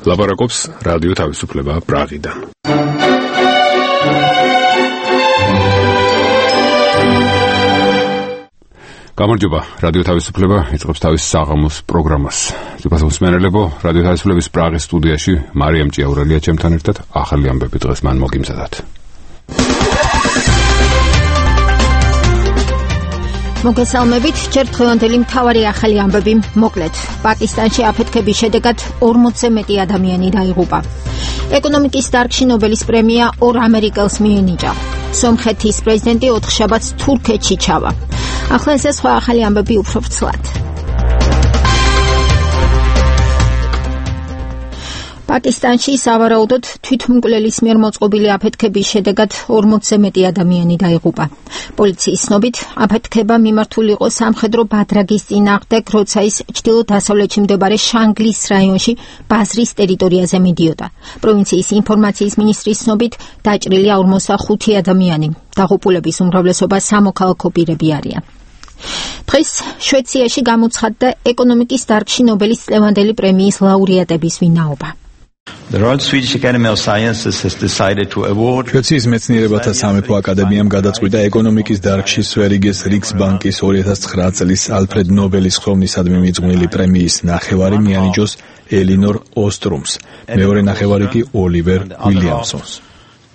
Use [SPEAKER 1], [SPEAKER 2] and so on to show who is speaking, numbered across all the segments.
[SPEAKER 1] ლაპარაკობს რადიო თავისუფლება პრაღიდან. გამარჯობა, რადიო თავისუფლება იწყებს თავის საღამოს პროგრამას. ძვირფასო მსმენელებო, რადიო თავისუფლების პრაღის სტუდიაში მარიამ ჭიაურელია ჩემთან ერთად. ახალი ამბები დღეს მან მოგიმზადათ.
[SPEAKER 2] მოგესალმებით, ჯერ დღევანდელი მთავარი ახალი ამბები მოკლედ. პაკისტანში აფეთქების შედეგად 40-ზე მეტი ადამიანი დაიღუპა. ეკონომიკის დარგში ნობელის პრემია 2 ამერიკელს მიენიჭა. სომხეთის პრეზიდენტი 4 შაბათს თურქეთში ჩავა. ახლა ეს სხვა ახალი ამბები უფრო ვრცლად. პაკისტანში სავარაუდოდ თვითმკვლელის მიერ მოწყობილი აფეთქების შედეგად 40-ზე მეტი ადამიანი დაიღუპა. პოლიციის ცნობით, აფეთქება მიმართული იყო სამხედრო ბადრაგის წინააღმდეგ, როცა ის ჩრდილო-დასავლეთში მდებარე შანგლის რაიონში ბაზრის ტერიტორიაზე მიდიოდა. პროვინციის ინფორმაციის მინისტრის ცნობით, დაჭრილია 45 ადამიანი. დაღუპულების უმრავლესობა სამოქალაქო პირები არიან. დღეს შვეიცარიაში გამოცხადდა ეკონომიკის დარგში ნობელის წლევანდელი პრემიის ლაურეატების ვინაობა.
[SPEAKER 3] The Royal Swedish Academy of Sciences has decided to award
[SPEAKER 4] შვეიცარიის მეცნიერებათა სამეფო აკადემიამ გადაწყვიტა ეკონომიკის დარგში სვერიგეს რიქსბანკის 2009 წლის ალფრედ ნობელის ხროვნისადმი მიძღვნილი პრემიის ნახევარი მიანიჭოს ელინორ ოსტრუმს, მეორე ნახევარი კი ოლივერ უილიამსონს.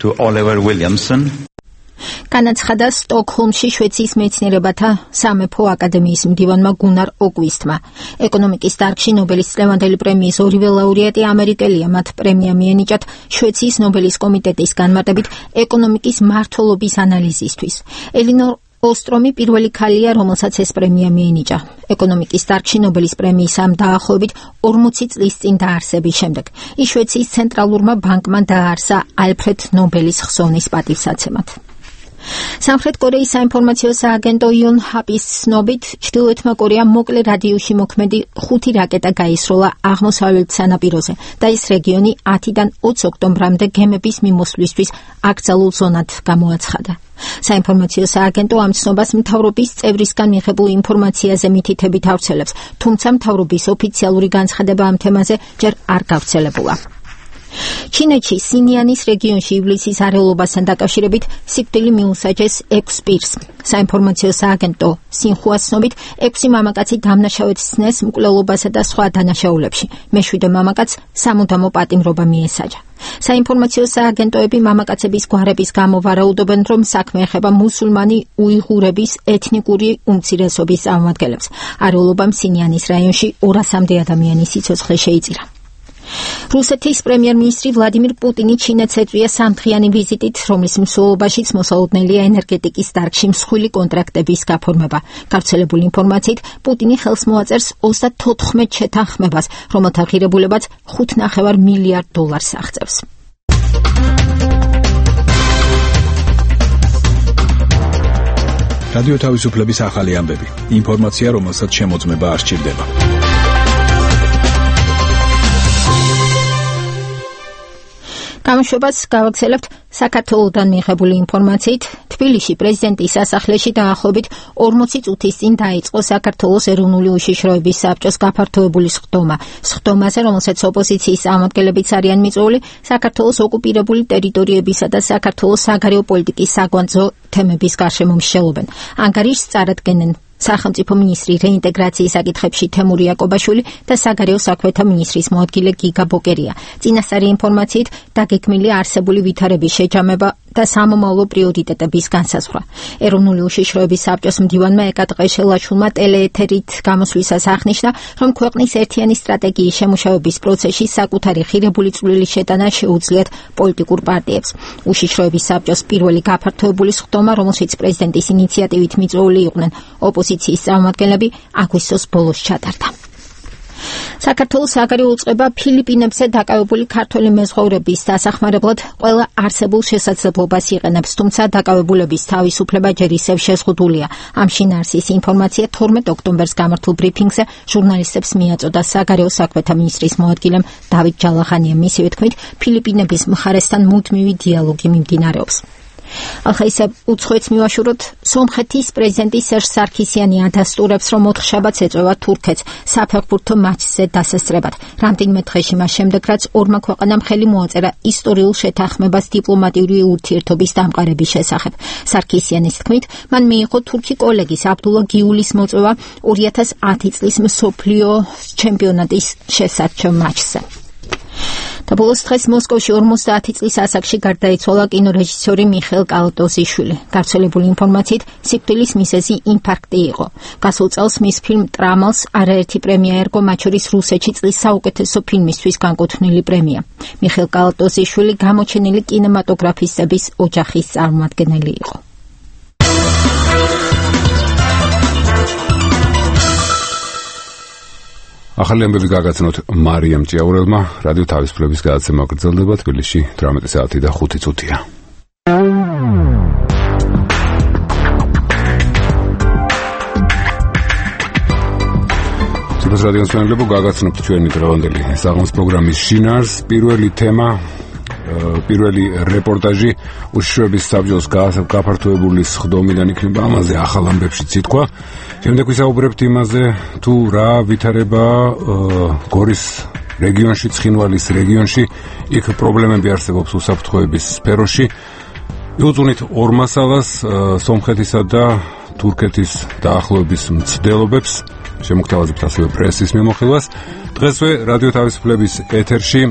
[SPEAKER 3] to Oliver Williamson.
[SPEAKER 2] განაცხადა სტოკჰოლმში შვეიცარიის მეცნიერებათა სამეფო აკადემიის მდივანმა გუნარ ოკვისტმა. ეკონომიკის დარგში ნობელის წლევანდელი პრემიის ორივე ლაურეატი ამერიკელია. მათ პრემია მიენიჭათ შვეიცარიის ნობელის კომიტეტის განმარტებით ეკონომიკის მართლობის ანალიზისთვის. ელინორ ოსტრომი პირველი ქალია, რომელსაც ეს პრემია მიენიჭა. ეკონომიკის დარგში ნობელის პრემიის ამ დაახლოებით 40 წლის წინ დაარსების შემდეგ. ის შვეიცარიის ცენტრალურმა ბანკმა დააარსა ალფრედ ნობელის ხსოვნის პატივსაცემად. სამხრეთ კორეის საინფორმაციო სააგენტო იონჰაპის ცნობით, ჩრდილოეთმა კორეამ მოკლე რადიუსში მოქმედი 5 რაკეტა გაისროლა აღმოსავლეთ სანაპიროზე და ის რეგიონი 10-დან 20 ოქტომბრამდე გემების მიმოსვლისთვის აკრძალულ ზონად გამოაცხადა. საინფორმაციო სააგენტო ამ ცნობას მთავრობის წევრისგან მიღებულ ინფორმაციაზე მითითებით ავრცელებს, თუმცა მთავრობის ოფიციალური განცხადება ამ თემაზე ჯერ არ გავრცელებულა. ჩინეთში სინიანის რეგიონში ივლისის არეულობასთან დაკავშირებით სიკვდილი მიუსაჯეს 6 პირს. საინფორმაციო სააგენტო სინხუას ცნობით, 6 მამაკაცი დამნაშავედ სცნეს მკვლელობასა და სხვა დანაშაულებში. მე-7 მამაკაცს სამუდამო პატიმრობა მიესაჯა. საინფორმაციო სააგენტოები მამაკაცების გვარების გამო ვარაუდობენ, რომ საქმე ეხება მუსულმანი უიღურების ეთნიკური უმცირესობის წარმომადგენლებს. არეულობამ სინიანის რაიონში 200-მდე ადამიანის სიცოცხლე შეიწირა. რუსეთის პრემიერ-მინისტრი ვლადიმირ პუტინი ჩინეთს ეწვია სამდღიანი ვიზიტით, რომლის მსვლელობაშიც მოსალოდნელია ენერგეტიკის დარგში მსხვილი კონტრაქტების გაფორმება. გავრცელებული ინფორმაციით, პუტინი ხელს მოაწერს 34 შეთანხმებას, რომელთა ღირებულებაც $5.5 მილიარდ აღწევს.
[SPEAKER 4] რადიო თავისუფლების ახალი ამბები. ინფორმაცია, რომელსაც შემოწმება არ სჭირდება.
[SPEAKER 2] გამოშვებას გავაგრძელებთ საქართველოდან მიღებული ინფორმაციით. თბილისში პრეზიდენტის სასახლეში დაახლოებით 40 წუთის წინ დაიწყო საქართველოს ეროვნული უშიშროების საბჭოს გაფართოებული სხდომა. სხდომაზე, რომელსაც ოპოზიციის წარმომადგენლებიც არიან მიწვეული, საქართველოს ოკუპირებული ტერიტორიებისა და საქართველოს საგარეო პოლიტიკის საკვანძო თემების გარშემო მსჯელობენ. ანგარიშს წარადგენენ სახელმწიფო მინისტრი რეინტეგრაციის საკითხებში თემური იაკობაშვილი და საგარეო საქმეთა მინისტრის მოადგილე გიგა ბოკერია. წინასწარი ინფორმაციით დაგეგმილია არსებული ვითარების შეჯამება და სამომავლო პრიორიტეტების განსაზღვრა. ეროვნული უშიშროების საბჭოს მდივანმა ეკა ტყეშელაშვილმა ტელეეთერით გამოსვლისას აღნიშნა, რომ ქვეყნის ერთიანი სტრატეგიის შემუშავების პროცესში საკუთარი ღირებული წვლილი შეტანა შეუძლიათ პოლიტიკურ პარტიებს. უშიშროების საბჭოს პირველი გაფართოებული სხდომა, რომელშიც პრეზიდენტის ინიციატივით მიწვეული იყვნენ ოპოზიციის წარმომადგენლები, აგვისტოს ბოლოს ჩატარდა. საქართველოს საგარეო უწყება ფილიპინებზე დაკავებული ქართველი მეზღვაურების დასახმარებლად ყველა არსებულ შესაძლებლობას იყენებს, თუმცა დაკავებულების თავისუფლება ჯერ ისევ შეზღუდულია. ამ შინაარსის ინფორმაცია 12 ოქტომბერს გამართულ ბრიფინგზე ჟურნალისტებს მიაწოდა საგარეო საქმეთა მინისტრის მოადგილემ დავით ჯალახანიამ. მისივე თქმით, ფილიპინების მხარესთან მუდმივი დიალოგი მიმდინარეობს. ახლა ისე უცხოეთს მივაშუროთ, სომხეთის პრეზიდენტი სერჟ სარქისიანი ადასტურებს, რომ 4 შაბათს ეწევა თურქეთს საფეხბურთო მატჩზე დასასწრებად. რამდენიმე დღეში მას შემდეგ, რაც ორმა ქვეყანამ ხელი მოაწერა ისტორიულ შეთანხმებას დიპლომატიური ურთიერთობის დამყარების შესახებ. სარქისიანის თქმით, მან მიიღო თურქი კოლეგის აბდულა გიულის მოწვევა 2010 წლის მსოფლიო ჩემპიონატის შესარჩევ მატჩზე. და ბოლოს დღეს მოსკოვში 50 წლის ასაკში გარდაიცვალა კინორეჟისორი მიხეილ კალატოზიშვილი. გავრცელებული ინფორმაციით, სიკვდილის მიზეზი ინფარქტი იყო. გასულ წელს მის ფილმ ტრამალს არაერთი პრემია ერგო, მათ შორის რუსეთში წლის საუკეთესო ფილმისთვის განკუთვნილი პრემია. მიხეილ კალატოზიშვილი გამოჩენილი კინემატოგრაფისტების ოჯახის წარმომადგენელი იყო.
[SPEAKER 1] ახალი ამბები გაგაცნოთ მარიამ ჭიაურელმა. რადიო თავისუფლების გადაცემა გრძელდება თბილისში 18 საათი და 5 წუთია. ცოტა რადიოს მეგობრებო, გაგაცნობთ ჩვენი დღევანდელი საღამოს პროგრამის შინაარს. პირველი რეპორტაჟი უშიშროების საბჭოს გაფართოებული სხდომიდან იქნება, ამაზე ახალ ამბებში ციტყვა. შემდეგ ვისაუბრებთ იმაზე, თუ რა ვითარება გორის რეგიონში, ცხინვალის რეგიონში, იქ პრობლემები არსებობს უსაფრთხოების სფეროში. იუწუნით ორ მასალას, სომხეთისა და თურქეთის დაახლოების მცდელობებს, შემოგთავაზებთ ასევე პრესის მიმოხილვას. დღესვე რადიო თავისუფლების ეთერში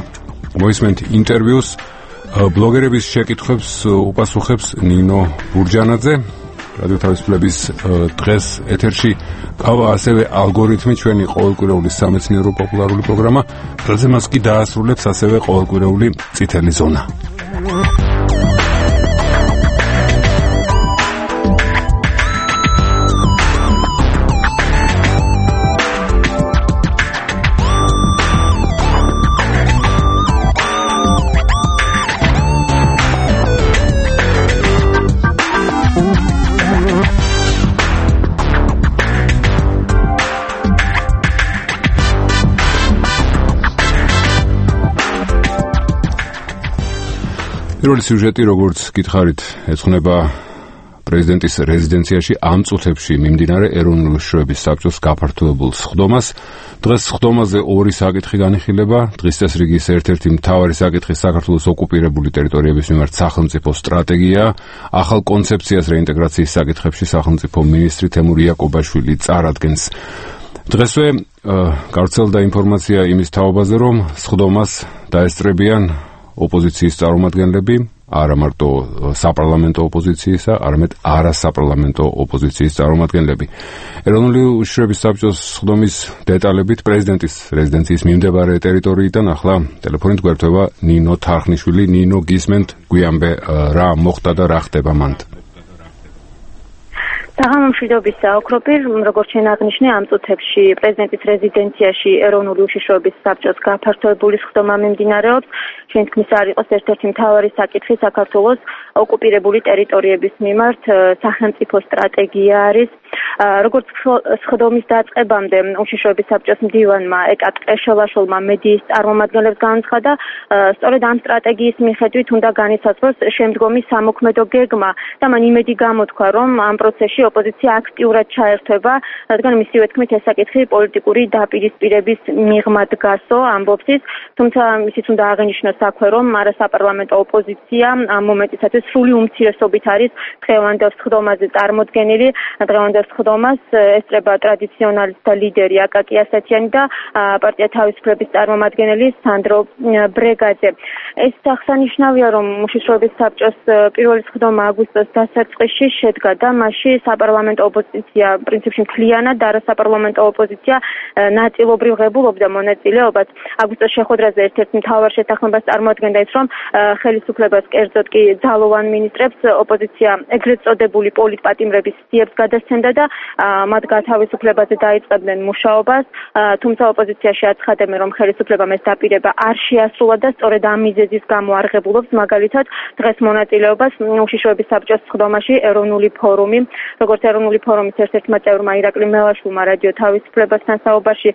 [SPEAKER 1] მოისმენთ ინტერვიუს, ბლოგერების შეკითხვებს უპასუხებს ნინო ბურჯანაძე. რადიო თავისუფლების დღეს ეთერში ყავა ასევე ალგორითმი, ჩვენი ყოველკვირეული სამეცნიერო პოპულარული პროგრამა, რომელზე მას კი დაასრულებს ასევე ყოველკვირეული წითელი ზონა. პირველი სიუჟეტი, როგორც გითხარით, ეძღვნება პრეზიდენტის რეზიდენციაში ამ წუთებში მიმდინარე ეროვნული უშიშროების საბჭოს გაფართოებულ სხდომას. დღეს სხდომაზე ორი საკითხი განიხილება. დღის წესრიგის ერთ-ერთი მთავარი საკითხი საქართველოს ოკუპირებული ტერიტორიების მიმართ სახელმწიფო სტრატეგია. ახალ კონცეფციას რეინტეგრაციის საკითხებში სახელმწიფო მინისტრი თემურ იაკობაშვილი წარადგენს. დღესვე გავრცელდა ინფორმაცია იმის თაობაზე, რომ სხდომას დაესწრებიან ოპოზიციის წარმომადგენლები, არა მარტო საპარლამენტო ოპოზიციისა, არამედ არასაპარლამენტო ოპოზიციის წარმომადგენლები. ეროვნული უშიშროების საბჭოს სხდომის დეტალებით პრეზიდენტის რეზიდენციის მიმდებარე ტერიტორიიდან ახლა ტელეფონით გვერდება ნინო თარხნიშვილი. ნინო, გისმენთ, გვიანბე რა მოხდა და რა ხდება მანდ?
[SPEAKER 5] საღამომშვიდობის საოქროპი, როგორც შენ აღნიშნე, ამ წუთებში პრეზიდენტის რეზიდენციაში ეროვნული უშიშროების საბჭოს გაფართოებული სხდომა მიმდინარეობს. ჩვენ თქმის არ იყოს ერთ-ერთი მთავარი საკითხი საქართველოს ოკუპირებული ტერიტორიების მიმართ სახელმწიფო სტრატეგია არის. როგორც სხდომის დაწყებამდე უშიშროების საბჭოს მდივანმა ეკატ ყეშელაშვილმა მედიის წარმომადგენლებს განაცხადა, სწორედ ამ სტრატეგიის მიხედვით უნდა განისაზღვროს შემდგომი სამოქმედო გეგმა და მან იმედი გამოთქვა, რომ ამ პროცესში ოპოზიცია აქტიურად ჩაერთვება, რადგან მისივე თქმით ეს საკითხი პოლიტიკური დაპირისპირების მიღმა დგასო, ამბობს ის, თუმცა ისიც უნდა აღინიშნოს აქვე, რომ არასაპარლამენტო ოპოზიცია ამ მომენტისათვის სრული უმცირესობით არის დღევანდელ სხდომაზე წარმოდგენილი. დღევანდელ სხდომას ესწრება ტრადიციონალისტთა ლიდერი აკაკი ასათიანი და პარტია თავისუფლების წარმომადგენელი სანდრო ბრეგაძე. ეს აღსანიშნავია, რომ უშიშროების საბჭოს პირველი სხდომა აგვისტოს დასაწყისში შედგა და მასში საპარლამენტო ოპოზიცია პრინციპში მთლიანად და არასაპარლამენტო ოპოზიცია ნაწილობრივ ღებულობდა მონაწილეობას. აგვისტოს შეხვედრაზე ერთ-ერთ მთავარ შეთანხმებას წარმოადგენდა ის, რომ ხელისუფლებას კერძოდ კი ძალოვან მინისტრებს ოპოზიცია ეგრეთ წოდებული პოლიტპატიმრების სიებს გადასცემდა და მათ გათავისუფლებაზე დაიწყებდნენ მუშაობას, თუმცა ოპოზიციაში აცხადებენ, რომ ხელისუფლებამ ეს დაპირება არ შეასრულა და სწორედ ამ მიზეზის გამო არ ღებულობს მაგალითად დღეს მონაწილეობას უშიშროების საბჭოს სხდომაში ეროვნული ფორუმი, როგორც ეროვნული ფორუმის ერთ-ერთმა წევრმა ირაკლი მელაშვილმა რადიო თავისუფლებასთან საუბარში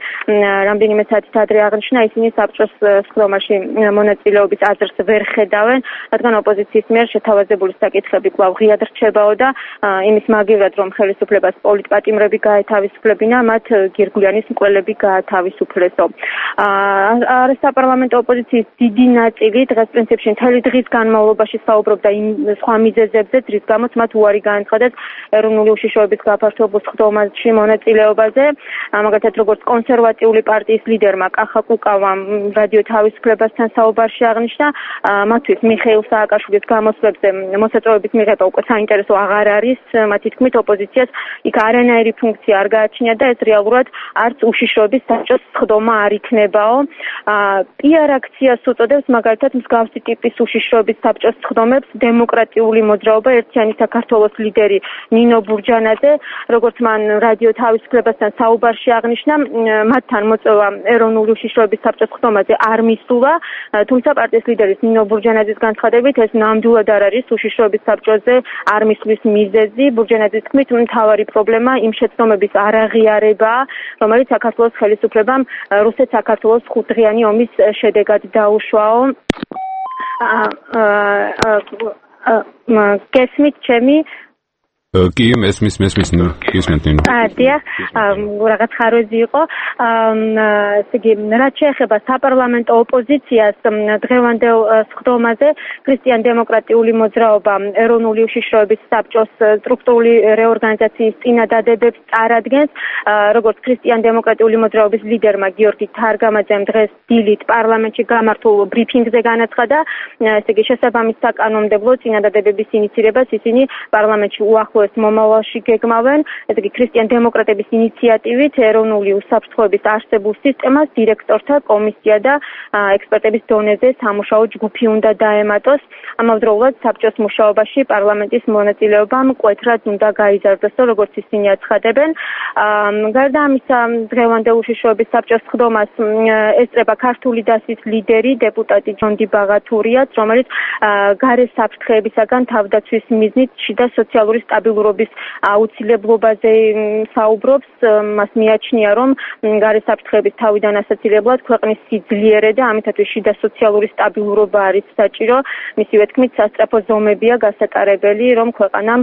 [SPEAKER 5] რამდენიმე საათით ადრე აღნიშნა, ისინი საბჭოს სხდომაში მონაწილეობის აზრს ვერ ხედავენ, რადგან ოპოზიციის მიერ შეთავაზებული საკითხები კვლავ ღიად რჩებაო და იმის მაგივრად, რომ ხელისუფლებას პოლიტპატიმრები გაეთავისუფლებინა, მათ გირგვლიანის მკვლელები გაათავისუფლესო. საპარლამენტო ოპოზიციის დიდი ნაწილი დღეს პრინციპში მთელი დღის განმავლობაში საუბრობდა იმ სხვა მიზეზებზე, რის გამოც მათ უარი განაცხადეს ეროვნული უშიშროების გაფართოებულ სხდომაში მონაწილეობაზე. მაგალითად, როგორც კონსერვატიული პარტიის ლიდერმა კახა კუკავამ რადიო თავისუფლებასთან საუბარში აღნიშნა, მათთვის მიხეილ სააკაშვილის გამოსვლებზე მოსაწვევების მიღება უკვე საინტერესო აღარ არის. მათი თქმით, ოპოზიციას იქ არანაირი ფუნქცია არ გააჩნია და ეს რეალურად არც უშიშროების საბჭოს სხდომა არ იქნებაო. PR აქციას უწოდებს მაგალითად მსგავსი ტიპის უშიშროების საბჭოს სხდომებს დემოკრატიული მოძრაობა ერთიანი საქართველოს ლიდერი ნინო ბურჯანაძე, როგორც მან რადიო თავისუფლებასთან საუბარში აღნიშნა, მათთან მოწვევა ეროვნული უშიშროების საბჭოს სხდომაზე არ მისულა, თუმცა პარტიის ლიდერის ნინო ბურჯანაძის განცხადებით ეს ნამდვილად არ არის უშიშროების საბჭოზე არ მისვლის მიზეზი. ბურჯანაძის თქმით, მთავარი პრობლემა იმ შეცდომების არაღიარებაა, რომელიც საქართველოს ხელისუფლებამ რუსეთ-საქართველოს 5-დღიანი ომის შედეგად დაუშვაო. გესმით ჩემი?
[SPEAKER 1] კი, მესმის ნინო.
[SPEAKER 5] დიახ, რაღაც ხარვეზი იყო. ესე იგი, რაც შეეხება საპარლამენტო ოპოზიციას დღევანდელ სხდომაზე, ქრისტიან-დემოკრატიული მოძრაობა ეროვნული უშიშროების საბჭოს სტრუქტურული რეორგანიზაციის წინადადებებს წარადგენს, როგორც ქრისტიან-დემოკრატიული მოძრაობის ლიდერმა გიორგი თარგამაძემ დღეს დილით პარლამენტში გამართულ ბრიფინგზე განაცხადა, ესე იგი, შესაბამის საკანონმდებლო წინადადებების ინიცირებას ისინი პარლამენტში უახლოეს მომავალში გეგმავენ, ესე იგი ქრისტიან-დემოკრატების ინიციატივით ეროვნული უსაფრთხოების არსებულ სისტემას დირექტორთა კომისია და ექსპერტების დონეზე სამუშაო ჯგუფი უნდა დაემატოს. ამავდროულად საბჭოს მუშაობაში პარლამენტის მონაწილეობა მკვეთრად უნდა გაიზარდოსო, როგორც ისინი აცხადებენ. გარდა ამისა, დღევანდელ უშიშროების საბჭოს სხდომას ესწრება ქართული დასის ლიდერი, დეპუტატი ჯონდი ბაღათურიაც, რომელიც გარე საფრთხეებისაგან თავდაცვის მიზნით შიდა სოციალური სტაბილურობის აუცილებლობაზე საუბრობს. მას მიაჩნია, რომ გარე საფრთხეების თავიდან ასაცილებლად ქვეყნის სიძლიერე და ამითათვის შიდა სოციალური სტაბილურობა არის საჭირო. მისივე თქმით, სასწრაფო ზომებია გასატარებელი, რომ ქვეყანამ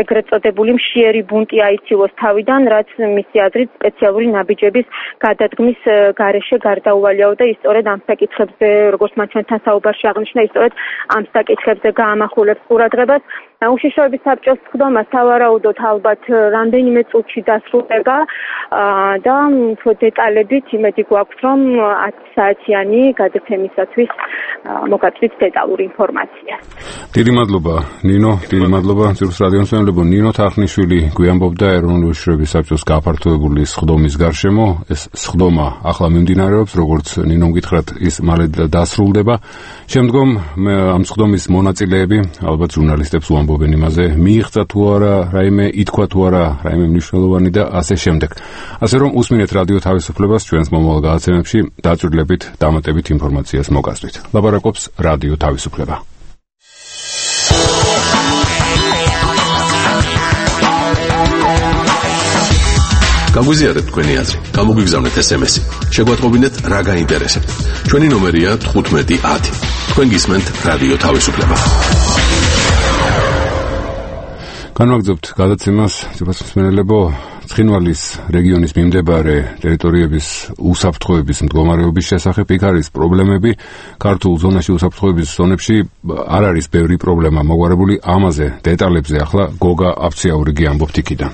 [SPEAKER 5] ეგრეთ წოდებული მშიერი ბუნტი აიცილოს თავიდან, რაც მისი აზრით სპეციალური ნაბიჯების გადადგმის გარეშე გარდაუვალიაო და ისწორედ ამ საკითხებზე, როგორც მათ ჩვენთან საუბარში აღნიშნა, ისწორედ ამ საკითხებზე გაამახვილებს ყურადღებას. უშიშროების საბჭოს სხდომა სავარაუდოდ ალბათ რამდენიმე წუთში დასრულდება და დეტალებით იმედი გვაქვს, რომ 10 საათიანი გადაცემისათვის მოგაწვით დეტალური ინფორმაცია.
[SPEAKER 1] დიდი მადლობა ნინო, დიდი მადლობა ძირს რადიომსმენელებო. ნინო თახნიშვილი გვიამბობდა ეროვნული უშიშროების საბჭოს გაფართოებული სხდომის გარშემო. ეს სხდომა ახლა მიმდინარეობს, როგორც ნინომ გითხრათ, ის მალე დასრულდება. შემდგომ ამ სხდომის მონაწილეები ალბათ ჟურნალისტებს უამბობენ იმაზე, მიიღწა თუ არა რაიმე, ითქვა თუ არა რაიმე მნიშვნელოვანი და ასე შემდეგ. ასე რომ უსმინეთ რადიო თავისუფლებას ჩვენს მომავალ გადაცემებში დაწვრილებით, დამატებით ინფორმაციას მოგასწრით. ლაპარაკობს რადიო თავისუფლება.
[SPEAKER 6] გაგვიზიარეთ თქვენი აზრი, გამოგვიგზავნეთ SMS-ი. შეგვატყობინეთ რა გაინტერესებთ. ჩვენი ნომერია 1510. თქვენ გისმენთ რადიო თავისუფლება.
[SPEAKER 1] განვაგრძობთ გადაცემას, ძირფასმენელებო, ცხინვალის რეგიონის მიმდებარე ტერიტორიების უსაფრთხოების მდგომარეობის შესახებ იქ არის პრობლემები. ქართულ ზონაში უსაფრთხოების ზონებში არ არის ბევრი პრობლემა მოგვარებული, ამაზე დეტალებზე ახლა გოგა აფციაურიგი ამბობთ იქიდან.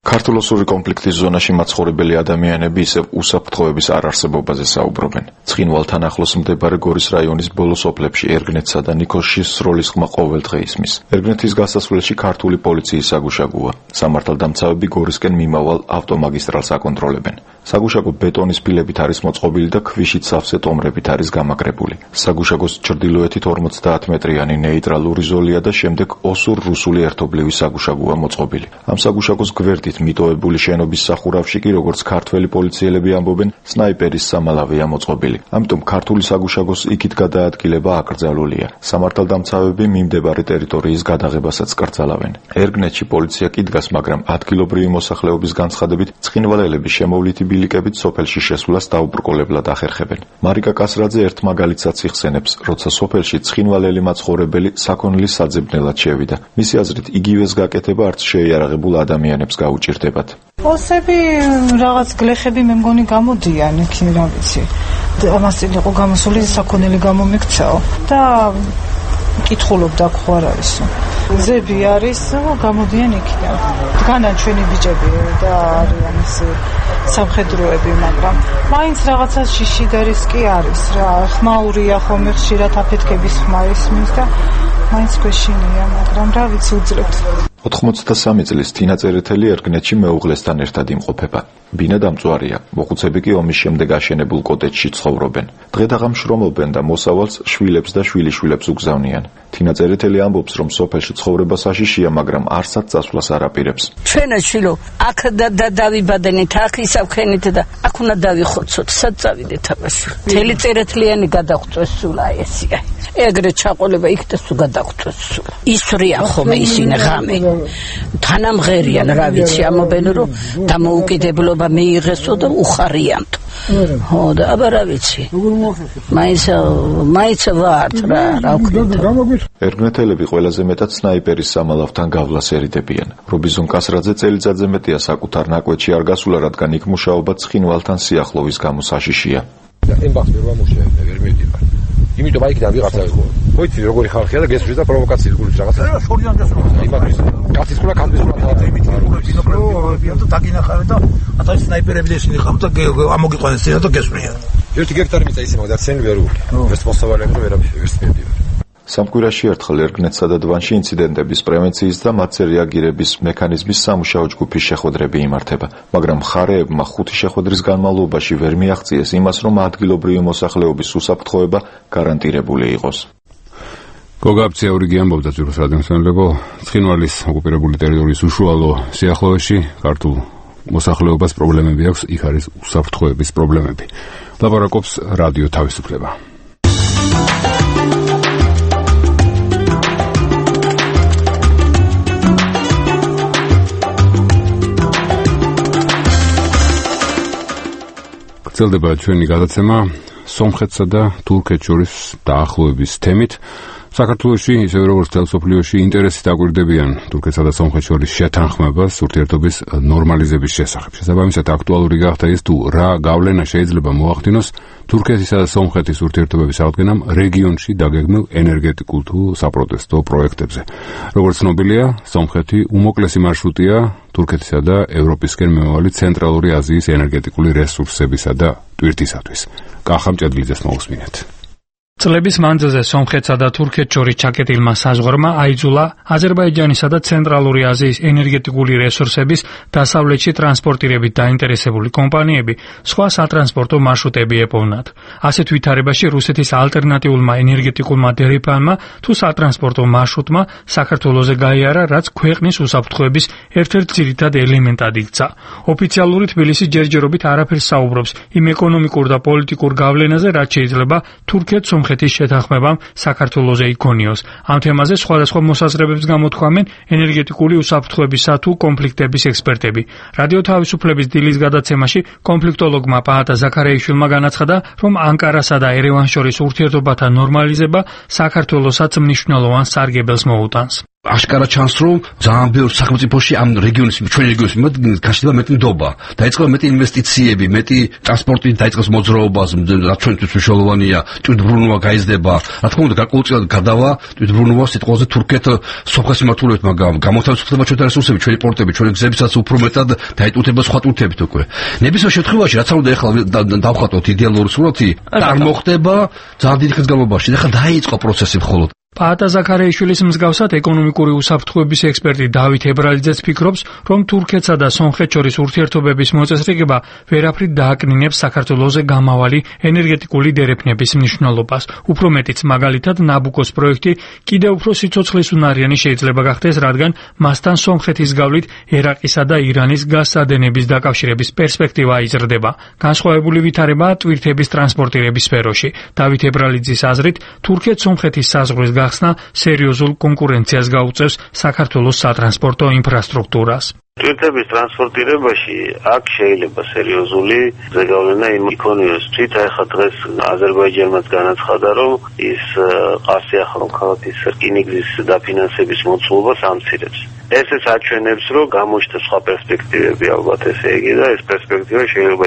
[SPEAKER 7] ქართულ-ოსური კონფლიქტის ზონაში მაცხოვრებელი ადამიანები ისევ უსაფრთხოების არარსებობაზე საუბრობენ. ცხინვალთან ახლოს მდებარე გორის რაიონის ბოლო სოფლებში ერგნეთსა და ნიქოზში სროლის ხმა ყოველდღე ისმის. ერგნეთის გასასვლელში ქართული პოლიციის საგუშაგოა. სამართალდამცავები გორისკენ მიმავალ ავტომაგისტრალს აკონტროლებენ. საგუშაგო ბეტონის ფილებით არის მოწყობილი და ქვიშით სავსე ტომრებით არის გამაგრებული. საგუშაგოს ჩრდილოეთით 50 მეტრიანი ნეიტრალური ზოლია და შემდეგ ოსურ-რუსული ერთობლივი საგუშაგოა მოწყობილი. ამ საგუშაგოს გვერდით მიტოვებული შენობის სახურავში კი, როგორც ქართველი პოლიციელები ამბობენ, სნაიპერის სამალავეა მოწყობილი. ამიტომ ქართული საგუშაგოს იქით გადაადგილება აკრძალულია. სამართალდამცავები მიმდებარე ტერიტორიის გადაღებასაც კრძალავენ. ერგნეთში პოლიცია კი დგას, მაგრამ ადგილობრივი მოსახლეობის განცხადებით ცხინვალელების შემოვლითი ბილიკებით სოფელში შესვლას დაუბრკოლებლად ახერხებენ. მარიკა კასრაძე ერთ მაგალითსაც იხსენებს, როცა სოფელში ცხინვალელი მაცხოვრებელი საქონლის საძებნელად შევიდა. მისი აზრით, იგივეს გაკეთება არც შეიარაღებულ ადამიანებს გაუჭირდებათ.
[SPEAKER 8] ოსები რაღაც გლეხები მე მგონი გამოდიან იქ, რა ვიცი. ამას იყო გამოსული საქონელი გამომიქცაო და კითხულობდა ხო არ არისო. ზები არის, გამოდიან იქიდან. დგანან ჩვენი ბიჭები და არიან ისე სამხედროები, მაგრამ მაინც რაღაცა შიში და რისკი არის რა. ხმაურია ხოლმე ხშირად აფეთქების ხმა ისმის და მაინც გვეშინია, მაგრამ რა ვიცი უძლებთ.
[SPEAKER 7] 83 წლის თინა წერეთელი ერგნეთში მეუღლესთან ერთად იმყოფება. ბინა დამწვარია, მოხუცები კი ომის შემდეგ აშენებულ კოტეჯში ცხოვრობენ. დღე-დაღამ შრომობენ და მოსავალს შვილებს და შვილიშვილებს უგზავნიან. თინა წერეთელი ამბობს, რომ სოფელში ცხოვრება საშიშია, მაგრამ არსად წასვლას არ აპირებს.
[SPEAKER 9] ჩვენ შვილო, აქ დავიბადენით, აქ ისავქენით და აქ უნდა დავიხოცოთ, სად წავიდეთ აბაში. თელი წერეთლიანი გადახვწეს სულ აი ესია. ეგრე ჩაყოლება იქ და სულ გადახვწეს სულ. ისვრიან ხოლმე ისინი ღამე. თანამღერიან, რა ვიცი, ამობენ რომ დამოუკიდებლობა მიიღესო და უხარიანთ. ხო და აბა რა ვიცი. მაინც ვართ რა ვქნით.
[SPEAKER 7] ერგნეთელები ყველაზე მეტად სნაიპერის სამალავთან გავლას ერიდებიან. რობიზონ კასრაძე წელიწადზე მეტია საკუთარ ნაკვეთში არ გასულა, რადგან იქ მუშაობა ცხინვალთან სიახლოვის გამო საშიშია.
[SPEAKER 10] ემბახს ვერ ვამუშავებ, ვერ მივდივარ. იმიტომ აიქიდან ვიღაცა იყო. ხოიცი როგორი ხალხია და გესვრის და პროვოკაციის გულის რაღაცა. შორიდან გასულა. იმათთვის კაცის ყურა კაცის ყურა.
[SPEAKER 11] ბინოკლები და დაგინახავენ და ათას სნაიპერები ისინი ხამ და ამოგიყვანეს და გესვრიან.
[SPEAKER 10] ერთი გექტარი მიწა ისე მაგდა ცენ ვერ უგული. ეს მოსავალეები და ვერაფერს მივდივარ.
[SPEAKER 7] სამკვირაში ერთხელ ერგნეთსა და დვანში ინციდენტების პრევენციის და მათზე რეაგირების მექანიზმის სამუშაო ჯგუფის შეხვედრები იმართება, მაგრამ მხარეებმა 5 შეხვედრის განმავლობაში ვერ მიაღწიეს იმას, რომ ადგილობრივი მოსახლეობის უსაფრთხოება გარანტირებული იყოს.
[SPEAKER 1] გოგაბცია ურიგი ამბობდა ძვირფას რადიოსანლებო, ცხინვალის ოკუპირებული ტერიტორიის უშუალო სიახლოვეში ქართულ მოსახლეობას პრობლემები აქვს, იქ არის უსაფრთხოების პრობლემები. ლაპარაკობს რადიო თავისუფლება. გრძელდება ჩვენი გადაცემა სომხეთსა და თურქეთს შორის დაახლოების თემით. საქართველოში, ისევე როგორც მთელ მსოფლიოში, ინტერესით აკვირდებიან თურქეთსა და სომხეთს შორის შეთანხმებას ურთიერთობის ნორმალიზების შესახებ. შესაბამისად, აქტუალური გახდა ის, თუ რა გავლენა შეიძლება მოახდინოს თურქეთისა და სომხეთის ურთიერთობების აღდგენამ რეგიონში დაგეგმილ ენერგეტიკულ თუ საპროტესტო პროექტებზე. როგორც ცნობილია, სომხეთი უმოკლესი მარშრუტია თურქეთისა და ევროპისკენ მიმავალი ცენტრალური აზიის ენერგეტიკული რესურსებისა და ტვირთისათვის. კახა მჭედლიძეს მოусმინეთ.
[SPEAKER 12] წლების მანძილზე სომხეთსა და თურქეთს შორის ჩაკეტილმა საზღვარმა აიძულა აზერბაიჯანისა და ცენტრალური აზიის ენერგეტიკული რესურსების დასავლეთში ტრანსპორტირებით დაინტერესებული კომპანიები სხვა სატრანსპორტო მარშრუტები ეპოვნათ. ასეთ ვითარებაში რუსეთის ალტერნატიულმა ენერგეტიკულმა დერეფანმა თუ სატრანსპორტო მარშრუტმა საქართველოზე გაიარა, რაც ქვეყნის უსაფრთხოების ერთ-ერთ ძირითად ელემენტად იქცა. ოფიციალური თბილისი ჯერჯერობით არაფერს საუბრობს იმ ეკონომიკურ და პოლიტიკურ გავლენაზე, რაც შეიძლება თურქეთს სომხეთის შეთანხმებამ საქართველოზე იქონიოს. ამ თემაზე სხვადასხვა მოსაზრებებს გამოთქვამენ ენერგეტიკული უსაფრთხოებისა თუ კონფლიქტების ექსპერტები. რადიო თავისუფლების დილის გადაცემაში კონფლიქტოლოგმა პაატა ზაქარიაშვილმა განაცხადა, რომ ანკარასა და ერევანს შორის ურთიერთობათა ნორმალიზება საქართველოსაც მნიშვნელოვან სარგებელს მოუტანს.
[SPEAKER 10] აშკარა ჩანს, რომ ძალიან ბევრ სახელმწიფოში ამ რეგიონის ჩვენი რეგიონის გაშლება მეტი ნდობა, დაიწყება მეტი ინვესტიციები, მეტი ტრანსპორტი დაიწყეს მოძრაობას, რაც ჩვენთვის მნიშვნელოვანია, ტვირთბრუნვა გაიზრდება. რა თქმა უნდა, გარკვეულწილად გადავა ტვირთბრუნვა სიტყვაზე თურქეთ სომხეთის მმართველობთ, მაგრამ გამოთავისუფლდება ჩვენი რესურსები, ჩვენი პორტები, ჩვენი გზებისაც უფრო მეტად დაიტვირთება სხვა ტვირთებით უკვე. ნებისმიერ შემთხვევაში, რაც უნდა ეხლა დავხატოთ იდეალური სურათი, არ მოხდება ძალიან დიდი ხნის განმავლობაში. ეხლა დაიწყო პროცესი მხოლოდ.
[SPEAKER 12] პაატა ზაქარეიშვილის მსგავსად ეკონომიკური უსაფრთხოების ექსპერტი დავით ებრალიძეც ფიქრობს, რომ თურქეთსა და სომხეთს შორის ურთიერთობების მოწესრიგება ვერაფრით დააკნინებს საქართველოზე გამავალი ენერგეტიკული დერეფნების მნიშვნელობას. უფრო მეტიც, მაგალითად, ნაბუკოს პროექტი კიდევ უფრო სიცოცხლესუნარიანი შეიძლება გახდეს, რადგან მასთან სომხეთის გავლით ერაყისა და ირანის გაზსადენების დაკავშირების პერსპექტივა იზრდება. განსხვავებული ვითარებაა ტვირთების ტრანსპორტირების სფეროში. დავით ებრალიძის აზრით, თურქეთ-სომხეთის საზღვრის გახსნა სერიოზულ კონკურენციას გაუწევს საქართველოს სატრანსპორტო ინფრასტრუქტურას.
[SPEAKER 13] ტვირთების ტრანსპორტირებაში აქ შეიძლება სერიოზული ზეგავლენა იქონიოს. თვით ახლა დღეს აზერბაიჯანმაც განაცხადა, რომ ის ყარსიახლო ქალაქის რკინიგზის დაფინანსების მოცულობას ამცირებს. ესეც აჩვენებს, რომ გამოჩნდა სხვა პერსპექტივები, ალბათ ესე იგი, და ეს პერსპექტივა შეიძლება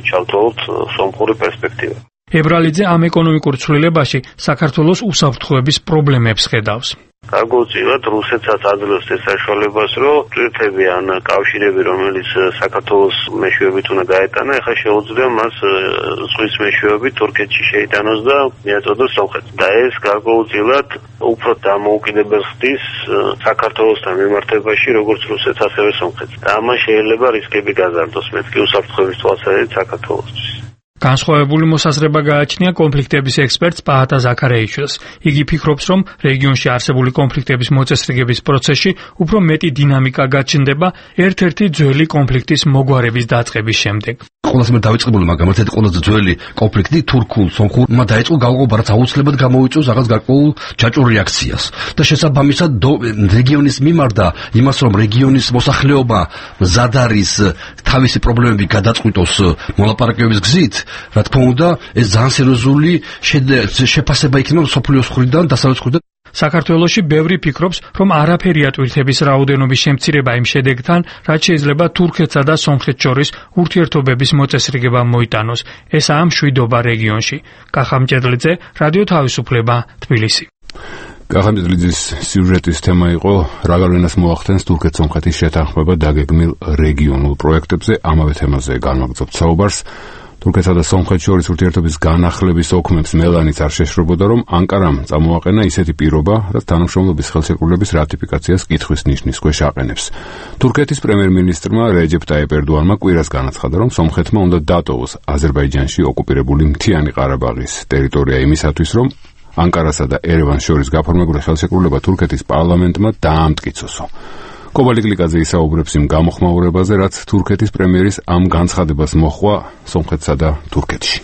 [SPEAKER 13] ჩავთვალოთ სომხური პერსპექტივა.
[SPEAKER 12] ებრალიძე ამ ეკონომიკურ ცვლილებაში საქართველოს უსაფრთხოების პრობლემებს ხედავს.
[SPEAKER 13] გარკვეულწილად რუსეთსაც აძლევს ეს საშუალებას, რომ ტვირთები ან კავშირები, რომელიც საქართველოს მეშვეობით უნდა გაეტანა, ახლა შეუძლია მას ზღვის მეშვეობით თურქეთში შეიტანოს და მიაწოდოს სომხეთს. და ეს გარკვეულწილად უფრო დამოუკიდებელ ხდის საქართველოსთან მიმართებაში, როგორც რუსეთს, ასევე სომხეთს. და ამან შეიძლება რისკები გაზარდოს, მეტ კი უსაფრთხოების თვალსაზრისით საქართველოსთვის.
[SPEAKER 12] განსხვავებული მოსაზრება გააჩნია კონფლიქტების ექსპერტს პაატა ზაქარეიშვილს. იგი ფიქრობს, რომ რეგიონში არსებული კონფლიქტების მოწესრიგების პროცესში უფრო მეტი დინამიკა გაჩნდება ერთ-ერთი ძველი კონფლიქტის მოგვარების დაწყების შემდეგ.
[SPEAKER 10] ყველაზე მეტ დავიწყებული, მაგრამ ერთ-ერთი ყველაზე ძველი კონფლიქტი თურქულ-სომხურმა დაიწყო გავყობა, რაც აუცილებლად გამოიწვევს რაღაც გარკვეულ ჯაჭვურ რეაქციას. და შესაბამისად რეგიონის მიმართ და იმას, რომ რეგიონის მოსახლეობა მზად არის თავისი პრობლემები გადაწყვიტოს მოლაპარაკებების გზით, რა თქმა უნდა, ეს ძალიან სერიოზული შეფასება იქნება მსოფლიოს მხრიდან, დასავლეთის მხრიდან.
[SPEAKER 12] საქართველოში ბევრი ფიქრობს, რომ არაფერია ტვირთების რაოდენობის შემცირება იმ შედეგთან, რაც შეიძლება თურქეთსა და სომხეთს შორის ურთიერთობების მოწესრიგება მოიტანოს. ესაა მშვიდობა რეგიონში. კახამჭედლიძე, რადიო თავისუფლება, თბილისი.
[SPEAKER 1] კახამჭედლიძის სიუჟეტის თემა იყო რა გავლენას მოახდენს თურქეთ-სომხეთის შეთანხმება დაგეგმილ რეგიონულ პროექტებზე. ამავე თემაზე განვაგრძობთ საუბარს. თურქეთსა და სომხეთს შორის ურთიერთობის განახლების ოქმებს მელანიც არ შეშრობოდა, რომ ანკარამ წამოაყენა ისეთი პირობა, რაც თანამშრომლობის ხელშეკრულების რატიფიკაციას კითხვის ნიშნის ქვეშ აყენებს. თურქეთის პრემიერ-მინისტრმა რეჯეპ ტაიპ ერდოანმა კვირას განაცხადა, რომ სომხეთმა უნდა დატოვოს აზერბაიჯანში ოკუპირებული მთიანი ყარაბაღის ტერიტორია იმისათვის, რომ ანკარასა და ერევანს შორის გაფორმებული ხელშეკრულება თურქეთის პარლამენტმა დაამტკიცოსო. კობალიკლიკაძე ისაუბრებს იმ გამოხმაურებაზე, რაც თურქეთის პრემიერის ამ განცხადებას მოჰყვა სომხეთსა და თურქეთში.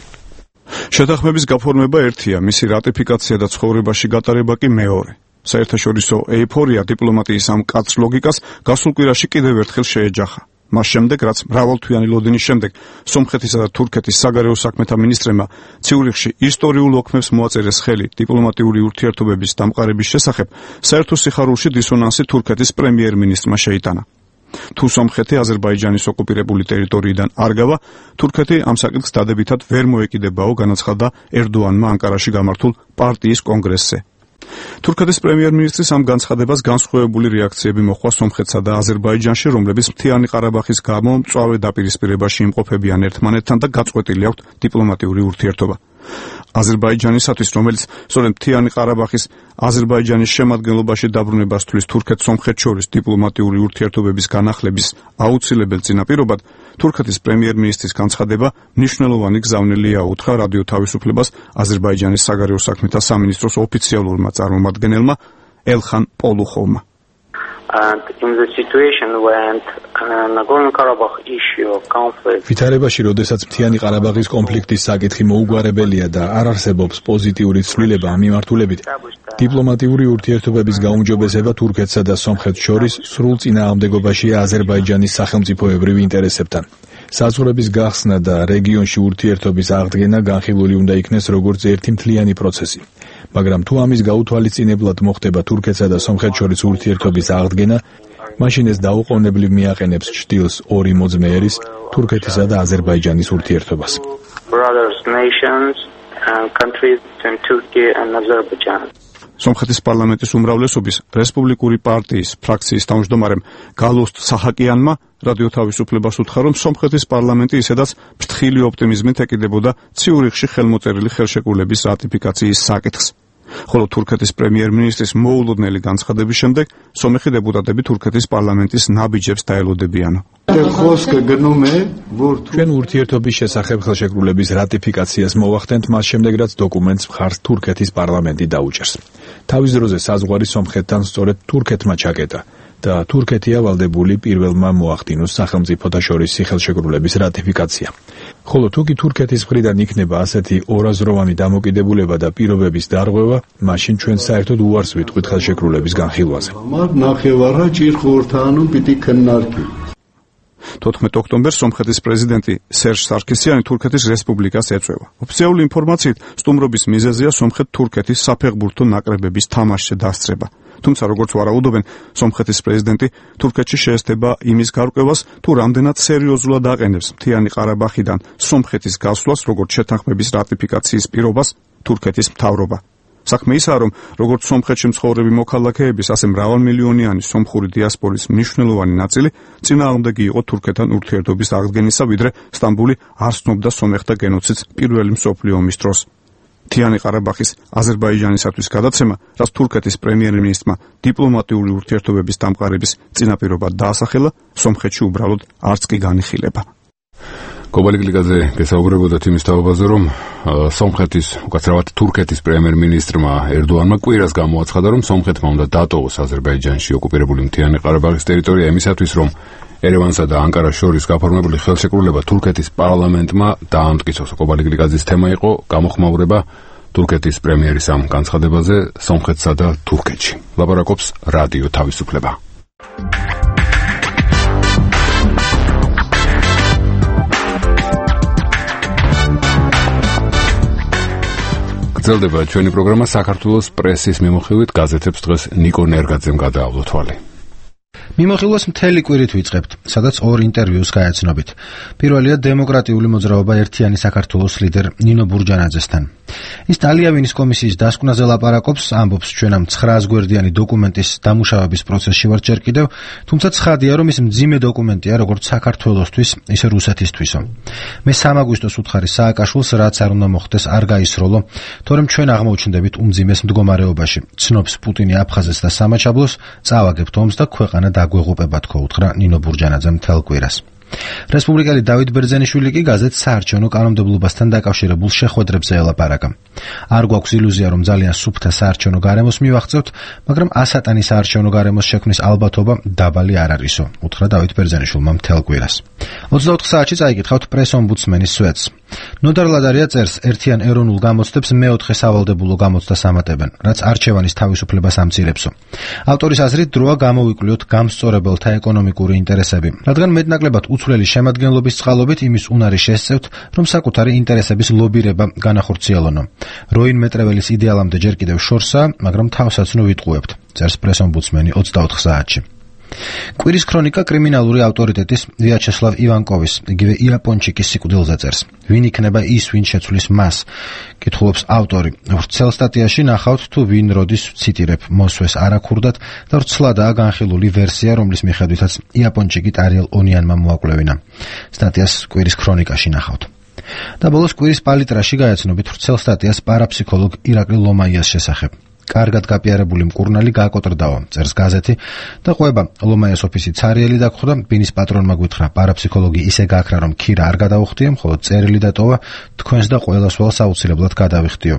[SPEAKER 14] შეთანხმების გაფორმება ერთია, მისი რატიფიკაცია და ცხოვრებაში გატარება კი მეორე. საერთაშორისო ეიფორია დიპლომატიის ამ კაც ლოგიკას გასულ კვირაში კიდევ ერთხელ შეეჯახა. მას შემდეგ, რაც მრავალთვიანი ლოდინის შემდეგ სომხეთისა და თურქეთის საგარეო საქმეთა მინისტრებმა ციურიხში ისტორიულ ოქმებს მოაწერეს ხელი დიპლომატიური ურთიერთობების დამყარების შესახებ, საერთო სიხარულში დისონანსი თურქეთის პრემიერ-მინისტრმა შეიტანა. თუ სომხეთი აზერბაიჯანის ოკუპირებული ტერიტორიიდან არ გავა, თურქეთი ამ საკითხს დადებითად ვერ მოეკიდებაო, განაცხადა ერდოანმა ანკარაში გამართულ პარტიის კონგრესზე. თურქეთის პრემიერ-მინისტრის ამ განცხადებას განსხვავებული რეაქციები მოჰყვა სომხეთსა და აზერბაიჯანში, რომლებიც მთიანი ყარაბაღის გამო მწვავე დაპირისპირებაში იმყოფებიან ერთმანეთთან და გაწყვეტილი აქვთ დიპლომატიური ურთიერთობა. აზერბაიჯანისათვის, რომელიც სწორედ მთიანი ყარაბაღის აზერბაიჯანის შემადგენლობაში დაბრუნებას თვლის თურქეთ-სომხეთს შორის დიპლომატიური ურთიერთობების განახლების აუცილებელ წინაპირობად, თურქეთის პრემიერ-მინისტრის განცხადება მნიშვნელოვანი გზავნილია, უთხრა რადიო თავისუფლებას აზერბაიჯანის საგარეო საქმეთა სამინისტროს ოფიციალურმა წარმომადგენელმა ელხან პოლუხოვმა.
[SPEAKER 15] And in the situation when Nagorno-Karabakh issue of conflict
[SPEAKER 4] ვითარებაში, როდესაც მთიანი ყარაბაღის კონფლიქტის საკითხი მოუგვარებელია და არ არსებობს პოზიტიური ცვლილება ამ მიმართულებით, დიპლომატიური ურთიერთობების გაუმჯობესება თურქეთსა და სომხეთს შორის სრულ წინააღმდეგობაშია აზერბაიჯანის სახელმწიფოებრივ ინტერესებთან. საზღვრების გახსნა და რეგიონში ურთიერთობის აღდგენა განხილული უნდა იქნეს როგორც ერთი მთლიანი პროცესი. მაგრამ თუ ამის გაუთვალისწინებლად მოხდება თურქეთსა და სომხეთს შორის ურთიერთობის აღდგენა, მაშინ ეს დაუყოვნებლივ მიაყენებს ჭრილს ორი მოძმეერის, თურქეთისა და აზერბაიჯანის ურთიერთობას.
[SPEAKER 15] brothers nations and countries in Turkey and Azerbaijan.
[SPEAKER 14] სომხეთის პარლამენტის უმრავლესობის რესპუბლიკური პარტიის ფრაქციის თავმჯდომარემ გალოსტ საჰაკიანმა რადიო თავისუფლებას უთხრა, რომ სომხეთის პარლამენტი ისედაც ფრთხილი ოპტიმიზმით ეკიდებოდა ციურიხში ხელმოწერილი ხელშეკრულების რატიფიკაციის საკითხს. ხოლო თურქეთის პრემიერ-მინისტრის მოულოდნელი განცხადების შემდეგ სომეხი დეპუტატები თურქეთის პარლამენტის ნაბიჯებს დაელოდებიანო.
[SPEAKER 4] ჩვენ ურთიერთობის შესახებ ხელშეკრულების რატიფიკაციას მოვახდენთ მას შემდეგ, რაც დოკუმენტს მხარს თურქეთის პარლამენტი დაუჭერს. თავის დროზე საზღვარი სომხეთთან სწორედ თურქეთმა ჩაკეტა და თურქეთია ვალდებული პირველმა მოახდინოს სახელმწიფოთა შორისი ხელშეკრულების რატიფიკაცია. ხოლო თუ კი თურქეთის მხრიდან იქნება ასეთი ორაზროვანი დამოკიდებულება და პირობების დარღვევა, მაშინ ჩვენ საერთოდ უარს ვიტყვით ხელშეკრულების განხილვაზე.
[SPEAKER 14] 14 ოქტომბერს სომხეთის პრეზიდენტი სერჟ სარქისიანი თურქეთის რესპუბლიკას ეწვევა. ოფიციალური ინფორმაციით, სტუმრობის მიზეზია სომხეთ-თურქეთის საფეხბურთო ნაკრებების თამაშზე დასწრება. თუმცა როგორც ვარაუდობენ, სომხეთის პრეზიდენტი თურქეთში შეესწება იმის გარკვევას, თუ რამდენად სერიოზულად აყენებს მთიანი ყარაბაღიდან სომხეთის გასვლას, როგორც შეთანხმების რატიფიკაციის პირობას თურქეთის მთავრობა. საქმე ისაა, რომ როგორც სომხეთში მცხოვრები მოქალაქეების, ასე მრავალმილიონიანი სომხური დიასპორის მნიშვნელოვანი ნაწილი წინააღმდეგი იყო თურქეთთან ურთიერთობის აღდგენისა, ვიდრე სტამბული არ ცნობდა სომეხთა გენოციდს პირველი მსოფლიო ომის დროს. მთიანი ყარაბაღის აზერბაიჯანისათვის გადაცემა, რაც თურქეთის პრემიერ-მინისტრმა დიპლომატიური ურთიერთობების დამყარების წინაპირობად დაასახელა, სომხეთში უბრალოდ არც კი განიხილება. კობალიკლიძე გესაუბრებოდა იმის თაობაზე, რომ სომხეთის, უკაცრავად თურქეთის პრემიერ-მინისტრმა ერდოანმა კვირას გამოაცხადა, რომ სომხეთმა უნდა დატოვოს აზერბაიჯანში ოკუპირებული მთიანი ყარაბაღის ტერიტორია იმისათვის, რომ ერევანსა და ანკარას შორის გაფორმებული ხელშეკრულება თურქეთის პარლამენტმა დაამტკიცოს. კობალიკლიძის თემა იყო გამოხმაურება თურქეთის პრემიერის ამ განცხადებაზე სომხეთსა და თურქეთში. ლაპარაკობს რადიო თავისუფლება. გრძელდება ჩვენი პროგრამა საქართველოს პრესის მიმოხილვით. გაზეთებს დღეს ნიკო ნერგაძემ გადაავლო თვალი.
[SPEAKER 16] მიმოხილვას მთელი კვირით ვიწყებთ, სადაც ორ ინტერვიუს გაეცნობით. პირველია დემოკრატიული მოძრაობა ერთიანი საქართველოს ლიდერ ნინო ბურჯანაძესთან. ის ტალიავინის კომისიის დასკვნაზე ლაპარაკობს, ამბობს ჩვენ ამ 900 გვერდიანი დოკუმენტის დამუშავების პროცესში ვართ ჯერ კიდევ, თუმცა ცხადია, რომ ის მძიმე დოკუმენტია როგორც საქართველოსთვის, ისე რუსეთისთვისო. მე 3 აგვისტოს უთხარი სააკაშვილს, რაც არ უნდა მოხდეს, არ გაისროლო, თორემ ჩვენ აღმოჩნდებით უმძიმეს მდგომარეობაში. ცნობს პუტინი აფხაზეთს და სამაჩაბლოს, წავაგებთ ომს და ქვეყანა დაგვეღუპება თქო, უთხრა ნინო ბურჯანაძემ მთელ კვირას. რესპუბლიკელი დავით ბერძენიშვილი კი გაზეთს საარჩევნო კანონმდებლობასთან დაკავშირებულ შეხვედრებზე ელაპარაკა. არ გვაქვს ილუზია, რომ ძალიან სუფთა საარჩევნო გარემოს მივაღწევთ, მაგრამ ასატანი საარჩევნო გარემოს შექმნის ალბათობა დაბალი არ არისო, უთხრა დავით ბერძენიშვილმა მთელ კვირას. 24 საათში წაიკითხავთ პრეს-ომბუდსმენის სვეტს. ნოდარ ლადარია წერს, ერთიან ეროვნულ გამოცდებს მეოთხე სავალდებულო გამოცდას ამატებენ, რაც არჩევანის თავისუფლებას ამცირებსო. ავტორის აზრით, დროა გამოვიკვლიოთ გამსწორებელთა ეკონომიკური ინტერესები, რადგან მეტნაკლებად უცვლელი შემადგენლობის წყალობით იმის უნარი შესწევთ, რომ საკუთარი ინტერესების ლობირება განახორციელონო. როინ მეტრეველის იდეალამდე ჯერ კიდევ შორსაა, მაგრამ თავსაცნო ვიტყუებთ, წერს პრეს-ომბუდსმენი 24 საათში. კვირის ქრონიკა კრიმინალური ავტორიტეტის ვიაჩესლავ ივანკოვის, იგივე იაპონჩიკის სიკვდილზე წერს. ვინ იქნება ის, ვინ შეცვლის მას? კითხულობს ავტორი. ვრცელ სტატიაში ნახავთ, თუ ვინ როდის ციტირებ, მოსვეს არაქურდად და ვრცლადაა განხილული ვერსია, რომლის მიხედვითაც იაპონჩიკით არიელ ონიანმა მოაკვლევინა. სტატიას კვირის ქრონიკაში ნახავთ. და ბოლოს კვირის პალიტრაში გაეცნობით ვრცელ სტატიას პარაფსიქოლოგ ირაკლი ლომაიას შესახებ. კარგად გაპიარებული მკურნალი გააკოტრდაო, წერს გაზეთი და ყვება ლომაიას ოფისი ცარიელი დაგხვდა, ბინის პატრონმა გვითხრა, პარაფსიქოლოგი ისე გააქრა, რომ ქირა არ გადაუხდიე, მხოლოდ წერილი დატოვა, თქვენს და ყველას ველს აუცილებლად გადავიხდიო.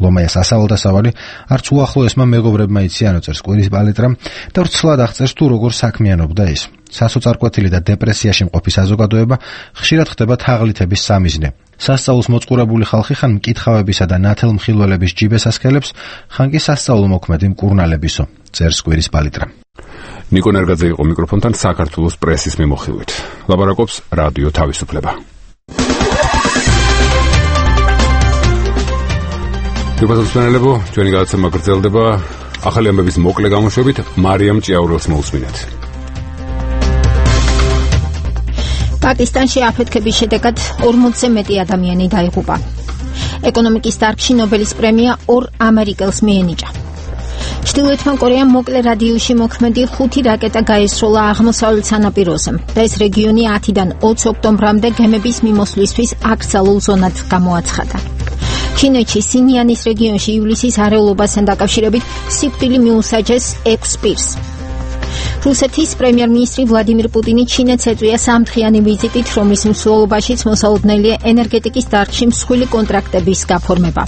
[SPEAKER 16] ლომაიას ასავალ-დასავალი არც უახლოესმა მეგობრებმა იციანო, წერს კვირის პალიტრამ და ვრცლად აღწერს, თუ როგორ საქმიანობდა ის. სასოწარკვეთილი და დეპრესიაში მყოფი საზოგადოება ხშირად ხდება თაღლითების სამიზნე. სასწაულს მოწყურებული ხალხი ხან მკითხავებისა და ნათელმხილველების ჯიბეს ასქელებს, ხან კი სასწაულო მოქმედი მკურნალებისო, წერს კვირის პალიტრა.
[SPEAKER 1] ნიკო ნერგაძე იყო მიკროფონთან საქართველოს პრესის მიმოხილვით. ლაპარაკობს რადიო თავისუფლება. გასაცნობელებო, ჩვენი გადაცემა გრძელდება. ახალი ამბების მოკლე გამოშვებით მარიამ ჭიაურელს მოусმინეთ.
[SPEAKER 2] პაკისტანში აფეთქების შედეგად 40-ზე მეტი ადამიანი დაიღუპა. ეკონომიკის დარგში ნობელის პრემია 2 ამერიკელს მიენიჭა. ჩრდილოეთმა კორეამ მოკლე რადიუსში მოქმედი 5 რაკეტა გაესროლა აღმოსავლეთ სანაპიროზე და ეს რეგიონი 10-დან 20 ოქტომბრამდე გემების მიმოსვლისთვის აკრძალულ ზონად გამოაცხადა. ჩინეთში სინიანის რეგიონში ივლისის არეულობასთან დაკავშირებით სიკვდილი მიუსაჯეს 6 პირს. რუსეთის პრემიერ-მინისტრი ვლადიმირ პუტინი ჩინეთს ეწვია სამდღიანი ვიზიტით, რომლის მსვლელობაშიც მოსალოდნელია ენერგეტიკის დარგში მსხვილი კონტრაქტების გაფორმება.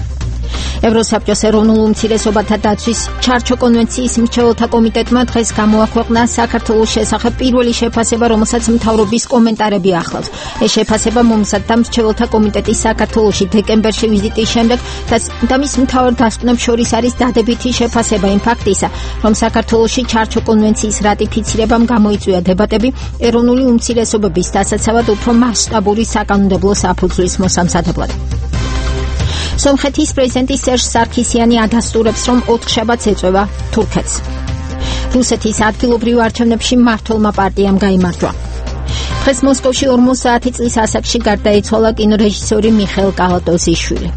[SPEAKER 2] ევროსაბჭოს ეროვნულ უმცირესობათა დაცვის ჩარჩო კონვენციის მრჩეველთა კომიტეტმა დღეს გამოაქვეყნა საქართველოს შესახებ პირველი შეფასება, რომელსაც მთავრობის კომენტარები ახლავს. ეს შეფასება მომზადდა მრჩეველთა კომიტეტის საქართველოში დეკემბერში ვიზიტის შემდეგ და მის მთავარ დასკვნებს შორის არის დადებითი შეფასება იმ ფაქტისა, რომ საქართველოში ჩარჩო კონვენციის რატიფიცირებამ გამოიწვია დებატები ეროვნული უმცირესობების დასაცავად უფრო მასშტაბური საკანონმდებლო საფუძვლის მოსამზადებლად. სომხეთის პრეზიდენტი სერჟ სარქისიანი ადასტურებს, რომ 4 შაბათს ეწევა თურქეთს. რუსეთის ადგილობრივ არჩევნებში მმართველმა პარტიამ გაიმარჯვა. დღეს მოსკოვში 50 წლის ასაკში გარდაიცვალა კინორეჟისორი მიხეილ კალატოზიშვილი.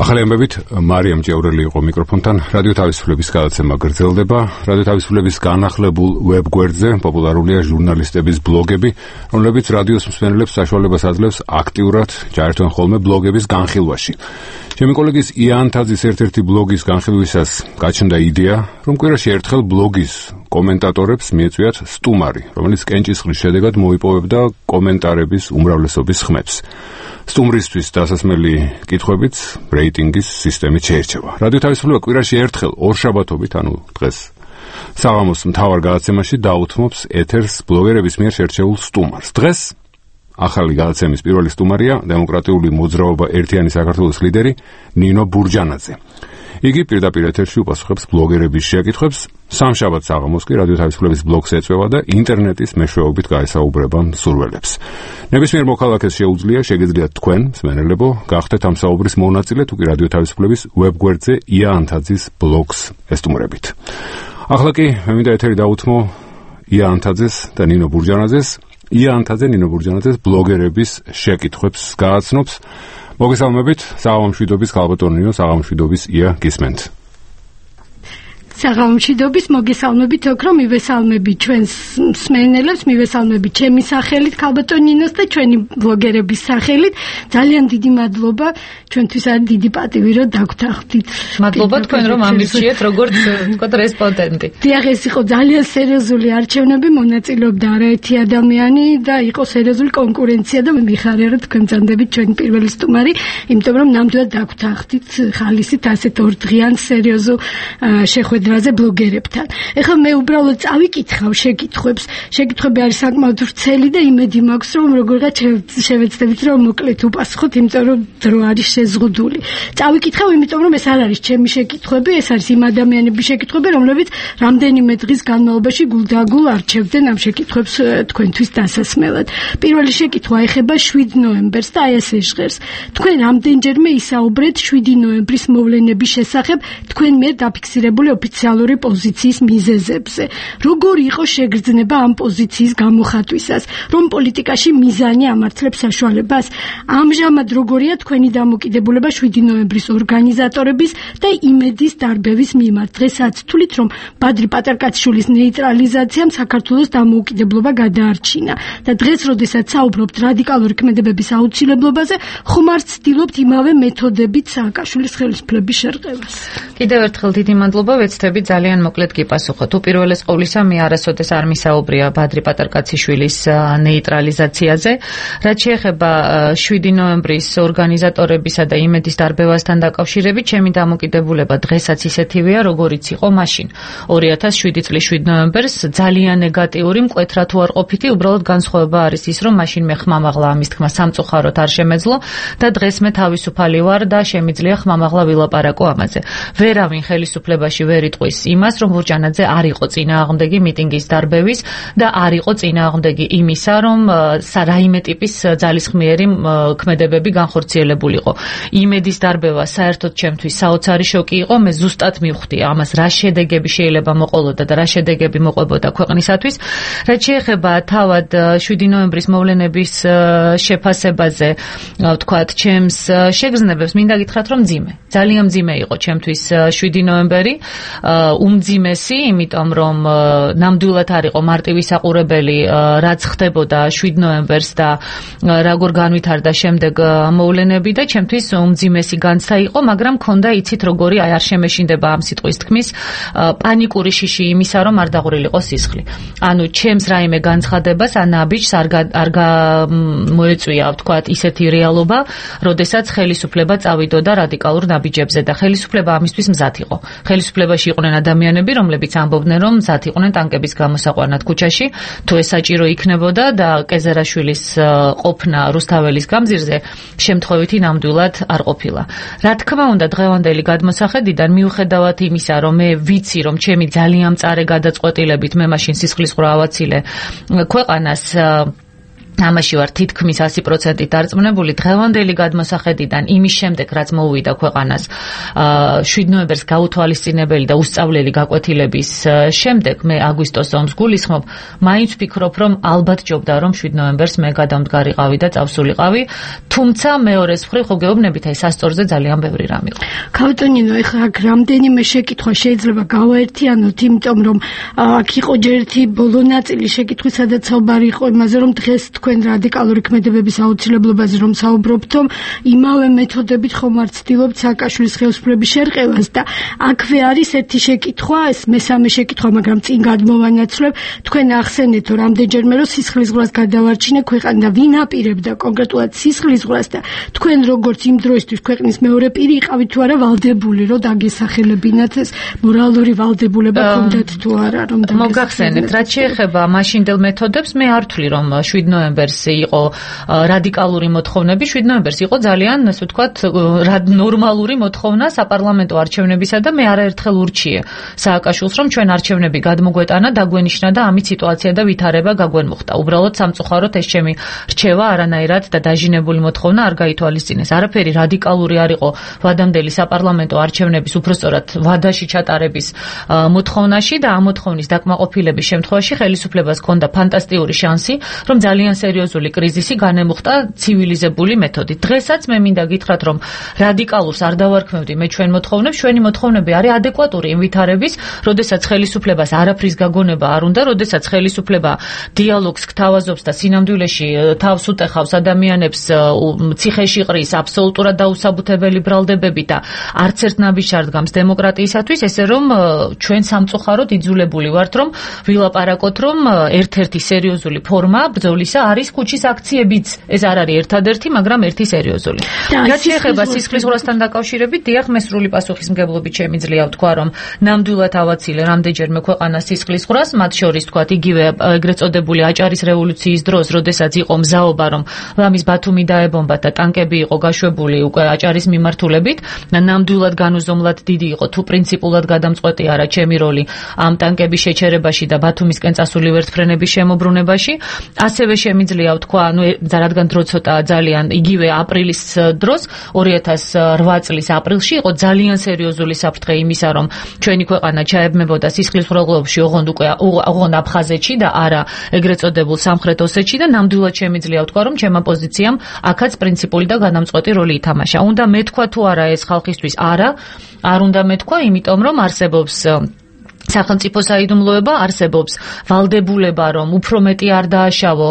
[SPEAKER 1] ახალი ამბებით მარიამ ჭევრელი იყო მიკროფონთან. რადიო თავისუფლების გადაცემა გრძელდება. რადიო თავისუფლების განახლებულ ვებგვერდზე პოპულარულია ჟურნალისტების ბლოგები, რომლებიც რადიოს მსმენელებს საშუალებას აძლევს აქტიურად ჩაერთონ ხოლმე ბლოგების განხილვაში. ჩემი კოლეგის იან თაძის ერთ-ერთი ბლოგის განხილვისას გაჩნდა იდეა, რომ კვირაში ერთხელ ბლოგის კომენტატორებს მიეწვიათ სტუმარი, რომელიც კენჭისყრის შედეგად მოიპოვებდა კომენტარების უმრავლესობის ხმებს. სტუმრისთვის დასასმელი კითხვებიც რეიტინგის სისტემით შეერჩევა. რადიო თავისუფლება კვირაში ერთხელ ორშაბათობით, ანუ დღეს საღამოს მთავარ გადაცემაში დაუთმობს ეთერს ბლოგერების მიერ შერჩეულ სტუმარს. დღეს ახალი გადაცემის პირველი სტუმარია დემოკრატიული მოძრაობა ერთიანი საქართველოს ლიდერი ნინო ბურჯანაძე. იგი პირდაპირ ეთერში უპასუხებს ბლოგერების შეკითხვებს, სამშაბათ საღამოს კი რადიო თავისუფლების ბლოგს ეწვევა და ინტერნეტის მეშვეობით გაესაუბრება მსურველებს. ნებისმიერ მოქალაქეს შეუძლია, შეგიძლიათ თქვენ, მსმენელებო, გახდეთ ამ საუბრის მონაწილე, თუ კი რადიო თავისუფლების ვებგვერდზე იან თაძის ბლოგს ესტუმრებით. ახლა კი მე მინდა ეთერი დაუთმო იან თაძეს და ნინო ბურჯანაძეს. იან თაძე ნინო ბურჯანაძეს ბლოგერების შეკითხვებს გააცნობს. მოგესალმებით, საღამომშვიდობის ქალბატონო ნინო, საღამომშვიდობის ია გისმენთ.
[SPEAKER 17] საღამომშვიდობის მოგესალმებით, ოქრო მივესალმები ჩვენს მსმენელებს, მივესალმები ჩემი სახელით ქალბატონო ნინოს და ჩვენი ბლოგერების სახელით. ძალიან დიდი მადლობა, ჩვენთვის არის დიდი პატივი, რომ დაგვთანხმდით.
[SPEAKER 18] მადლობა თქვენ, რომ ამირჩიეთ როგორც ვთქვათ რესპონდენტი.
[SPEAKER 17] დიახ, ეს იყო ძალიან სერიოზული არჩევნები, მონაწილეობდა არაერთი ადამიანი და იყო სერიოზული კონკურენცია და მიხარია, რომ თქვენ ბრძანდებით ჩვენი პირველი სტუმარი, იმიტომ რომ ნამდვილად დაგვთანხმდით ხალისით ასეთ ორდღიან სერიოზულ შეხვედრაზე ბლოგერებთან. ეხლა მე უბრალოდ წავიკითხავ შეკითხვებს. შეკითხვები არის საკმაოდ ვრცელი და იმედი მაქვს, რომ როგორღაც შევეცდებით, რომ მოკლედ უპასუხოთ, იმიტომ რომ დრო არის შეზღუდული. წავიკითხავ, იმიტომ რომ ეს არ არის ჩემი შეკითხვები, ეს არის იმ ადამიანების შეკითხვები, რომლებიც რამდენიმე დღის განმავლობაში გულდაგულ არჩევდნენ ამ შეკითხვებს თქვენთვის დასასმელად. პირველი შეკითხვა ეხება 7 ნოემბერს და აი ესე ჟღერს. თქვენ რამდენჯერმე ისაუბრეთ 7 ნოემბრის მოვლენების შესახებ თქვენ მიერ დაფიქსირებული ოფიციალური პოზიციის მიზეზებზე. როგორი იყო შეგრძნება ამ პოზიციის გამოხატვისას, რომ პოლიტიკაში მიზანი ამართლებს საშუალებას? ამჟამად როგორია თქვენი დამოკიდებულება 7 ნოემბრის ორგანიზატორების და იმედის დარბევის მიმართ? დღესაც თვლით, რომ ბადრი პატარკაციშვილის ნეიტრალიზაციამ საქართველოს დამოუკიდებლობა გადაარჩინა და დღეს, როდესაც საუბრობთ რადიკალური ქმედებების აუცილებლობაზე, ხომ არ ცდილობთ იმავე მეთოდებით სააკაშვილის ხელისუფლების შერყევას?
[SPEAKER 18] კიდევ ერთხელ დიდი მადლობა, ვეცდები ძალიან მოკლედ გიპასუხოთ. უპირველეს ყოვლისა, მე არასოდეს არ მისაუბრია ბადრი პატარკაციშვილის ნეიტრალიზაციაზე. რაც შეეხება 7 ნოემბრის ორგანიზატორებისა და იმედის დარბევასთან დაკავშირებით, ჩემი დამოკიდებულება დღესაც ისეთივეა, როგორიც იყო მაშინ. 2007 წლის 7 ნოემბერს ძალიან ნეგატიური, მკვეთრად უარყოფითი, უბრალოდ განსხვავება არის ის, რომ მაშინ მე ხმამაღლა ამის თქმა სამწუხაროდ არ შემეძლო და დღეს მე თავისუფალი ვარ და შემიძლია ხმამაღლა ვილაპარაკო ამაზე. ვერავინ ხელისუფლებაში ვერ იტყვის იმას, რომ ბურჯანაძე არ იყო წინააღმდეგი მიტინგის დარბევის და არ იყო წინააღმდეგი იმისა, რომ რაიმე ტიპის ძალისხმიერი ქმედებები განხორციელებულიყო. იმედის დარბევა საერთოდ ჩემთვის საოცარი შოკი იყო, მე ზუსტად მივხვდი ამას რა შედეგები შეიძლება მოყოლოდა და რა შედეგები მოყვებოდა ქვეყნისათვის. რაც შეეხება თავად 7 ნოემბრის მოვლენების შეფასებაზე, ვთქვათ, ჩემს შეგრძნებებს მინდა გითხრათ, რომ მძიმე. ძალიან მძიმე იყო ჩემთვის 7 ნოემბერი. უმძიმესი, იმიტომ რომ ნამდვილად არ იყო მარტივისაყურებელი რაც ხდებოდა 7 ნოემბერს და როგორ განვითარდა შემდეგ მოვლენები და ჩემთვის უმძიმესი განცდა იყო, მაგრამ მქონდა იცით როგორი არ შემეშინდება ამ სიტყვის თქმის პანიკური შიში იმისა რომ არ დაღურილიყო სისხლი. ანუ ჩემს რაიმე განცხადებას ან ნაბიჯს არ მოეწვია ვთქვათ ისეთი რეალობა, როდესაც ხელისუფლება წავიდოდა რადიკალურ ნაბიჯებზე და ხელისუფლება ამისთვის მზად იყო. ხელისუფლებაში იყვნენ ადამიანები, რომლებიც ამბობდნენ რომ მზად იყვნენ ტანკების გამოსაყვანად ქუჩაში, თუ ეს საჭირო იქნებოდა და კეზერაშვილის ყოფნა რუსთაველის გამზირზე შემთხვევითი ნამდვილად არ ყოფილა. რა თქმა უნდა, დღევანდელი გადმოსახედიდან მიუხედავად იმისა, რომ მე ვიცი, რომ ჩემი ძალიან მწარე გადაწყვეტილებით მე მაშინ სისხლისღვრა ავაცილე ქვეყანას ამაში ვარ თითქმის 100% დარწმუნებული, დღევანდელი გადმოსახედიდან იმის შემდეგ, რაც მოუვიდა ქვეყანას 7 ნოემბერს გაუთვალისწინებელი და უსწავლელი გაკვეთილების შემდეგ, მე აგვისტოს ომს გულისხმობ, მაინც ვფიქრობ, რომ ალბათ ჯობდა, რომ 7 ნოემბერს მე გადამდგარიყავი და წავსულიყავი, თუმცა მეორეს მხრივ ხო გეუბნებით, აი სასწორზე ძალიან ბევრი რამ იყო.
[SPEAKER 17] ქავტონინო, ეხლა აქ რამდენიმე შეკითხვა შეიძლება გავაერთიანოთ, იმიტომ რომ აქ იყო ჯერ ერთი ბოლო ნაწილი შეკითხვის, სადაც საუბარი იყო იმაზე, რომ დღეს თქვენ რადიკალური ქმედებების აუცილებლობაზე რომ საუბრობთ, იმავე მეთოდებით ხომ არ ცდილობთ სააკაშვილის ხელისუფლების შერყევას და აქვე არის ერთი შეკითხვა, ეს მესამე შეკითხვა, მაგრამ წინ გადმოვანაცვლებ, თქვენ ახსენეთ რომ რამდენჯერმე რომ სისხლისღვრას გადავარჩინე ქვეყანა და ვინ აპირებდა კონკრეტულად სისხლისღვრას და თქვენ როგორც იმ დროისთვის ქვეყნის მეორე პირი იყავით თუ არა ვალდებული რომ დაგესახელებინათ ეს მორალური ვალდებულება ქონდათ თუ არა რომ
[SPEAKER 18] მოგახსენებთ, რაც შეეხება მაშინდელ მეთოდებს, მე არ ვთვლი რომ 7 ნოემბერს იყო რადიკალური მოთხოვნები, 7 ნოემბერს იყო ძალიან, ასე ვთქვათ, ნორმალური მოთხოვნა საპარლამენტო არჩევნებისა და მე არაერთხელ ურჩიე სააკაშვილს, რომ ჩვენ არჩევნები გადმოგვეტანა, დაგვენიშნა და ამით სიტუაცია და ვითარება გაგვენმუხტა. უბრალოდ სამწუხაროდ ეს ჩემი რჩევა არანაირად და დაჟინებული მოთხოვნა არ გაითვალისწინეს. არაფერი რადიკალური არ იყო ვადამდელი საპარლამენტო არჩევნების უბრალოდ ვადაში ჩატარების მოთხოვნაში და ამ მოთხოვნის დაკმაყოფილების შემთხვევაში ხელისუფლებას ჰქონდა ფანტასტიკური შანსი, რომ ძალიან სერიოზული კრიზისი განემუხტა ცივილიზებული მეთოდით. დღესაც მე მინდა გითხრათ, რომ რადიკალურს არ დავარქმევდი მე ჩვენ მოთხოვნებს, ჩვენი მოთხოვნები არის ადეკვატური იმ ვითარების, როდესაც ხელისუფლებას არაფრის გაგონება არ უნდა, როდესაც ხელისუფლება დიალოგს გთავაზობს და სინამდვილეში თავს უტეხავს ადამიანებს ციხეში ყრის აბსოლუტურად დაუსაბუთებელი ბრალდებები და არც ერთ ნაბიჯს არ დგამს დემოკრატიისათვის, ესე რომ ჩვენ სამწუხაროდ იძულებული ვართ, რომ ვილაპარაკოთ, რომ ერთ-ერთი სერიოზული ფორმა ბრძოლისა არის ქუჩის აქციებიც. ეს არ არის ერთადერთი, მაგრამ ერთი სერიოზული. რაც შეეხება სისხლისღვრასთან დაკავშირებით, დიახ, მე სრული პასუხისმგებლობით შემიძლია ვთქვა, რომ ნამდვილად ავაცილე რამდენჯერმე ქვეყანას სისხლისღვრას, მათ შორის თქვათ იგივე ეგრეთ წოდებული აჭარის რევოლუციის დროს, როდესაც იყო მზაობა, რომ ლამის ბათუმი დაებომბათ და ტანკები იყო გაშვებული უკვე აჭარის მიმართულებით, ნამდვილად განუზომლად დიდი იყო, თუ პრინციპულად გადამწყვეტი არა ჩემი როლი ამ ტანკების შეჩერებაში და ბათუმისკენ წასული ვერტმფრენების შემოbrunებაში. ასევე შემიძლია ვთქვა, რადგან დრო ცოტა ძალიან იგივე აპრილის დროს 2008 წლის აპრილში იყო ძალიან სერიოზული საფრთხე იმისა, რომ ჩვენი ქვეყანა ჩაებმებოდა სისხლისღვრალობებში, ოღონდ აფხაზეთში და არა ეგრეთ წოდებულ სამხრეთ ოსეთში და ნამდვილად შემიძლია ვთქვა, რომ ჩემმა პოზიციამ აქაც პრინციპული და განამწყვეტი როლი ითამაშა. უნდა მეთქვა თუ არა ეს ხალხისთვის? არა, არ უნდა მეთქვა, იმიტომ რომ არსებობს სახელმწიფო საიდუმლოება, არსებობს ვალდებულება, რომ უფრო მეტი არ დააშავო,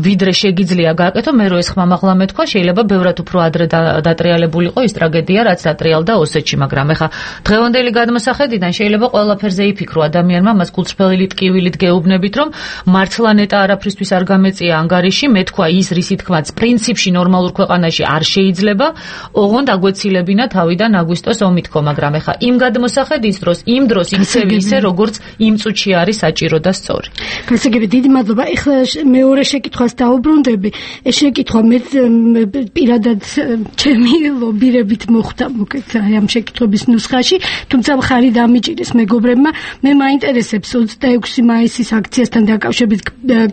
[SPEAKER 18] ვიდრე შეგიძლია გააკეთო, მე რო ეს ხმამაღლა მეთქვა, შეიძლება ბევრად უფრო ადრე დატრიალებულიყო ის ტრაგედია, რაც დატრიალდა ოსეთში, მაგრამ ეხა დღევანდელი გადმოსახედიდან შეიძლება ყველაფერზე იფიქრო ადამიანმა, მას კულწრფელი ტკივილით გეუბნებით, რომ მართლა ნეტა არაფრისთვის არ გამეწია ანგარიში, მეთქვა ის, რისი თქმაც პრინციპში ნორმალურ ქვეყანაში არ შეიძლება, ოღონდ აგვეცილებინა თავიდან აგვისტოს ომი თქო, მაგრამ ეხა იმ გადმოსახედის დროს, იმ დროს ისე როგორც იმ წუთში არის საჭირო და სწორი.
[SPEAKER 17] გასაგები, დიდი მადლობა. ეხლა მეორე შეკითხვას დაუბრუნდები. ეს შეკითხვა მე პირადად ჩემი ლობირებით მოხდა მოკეთ აი ამ შეკითხების ნუსხაში, თუმცა მხარი დამიჭირეს მეგობრებმა. მე მაინტერესებს 26 მაისის აქციასთან დაკავშირებით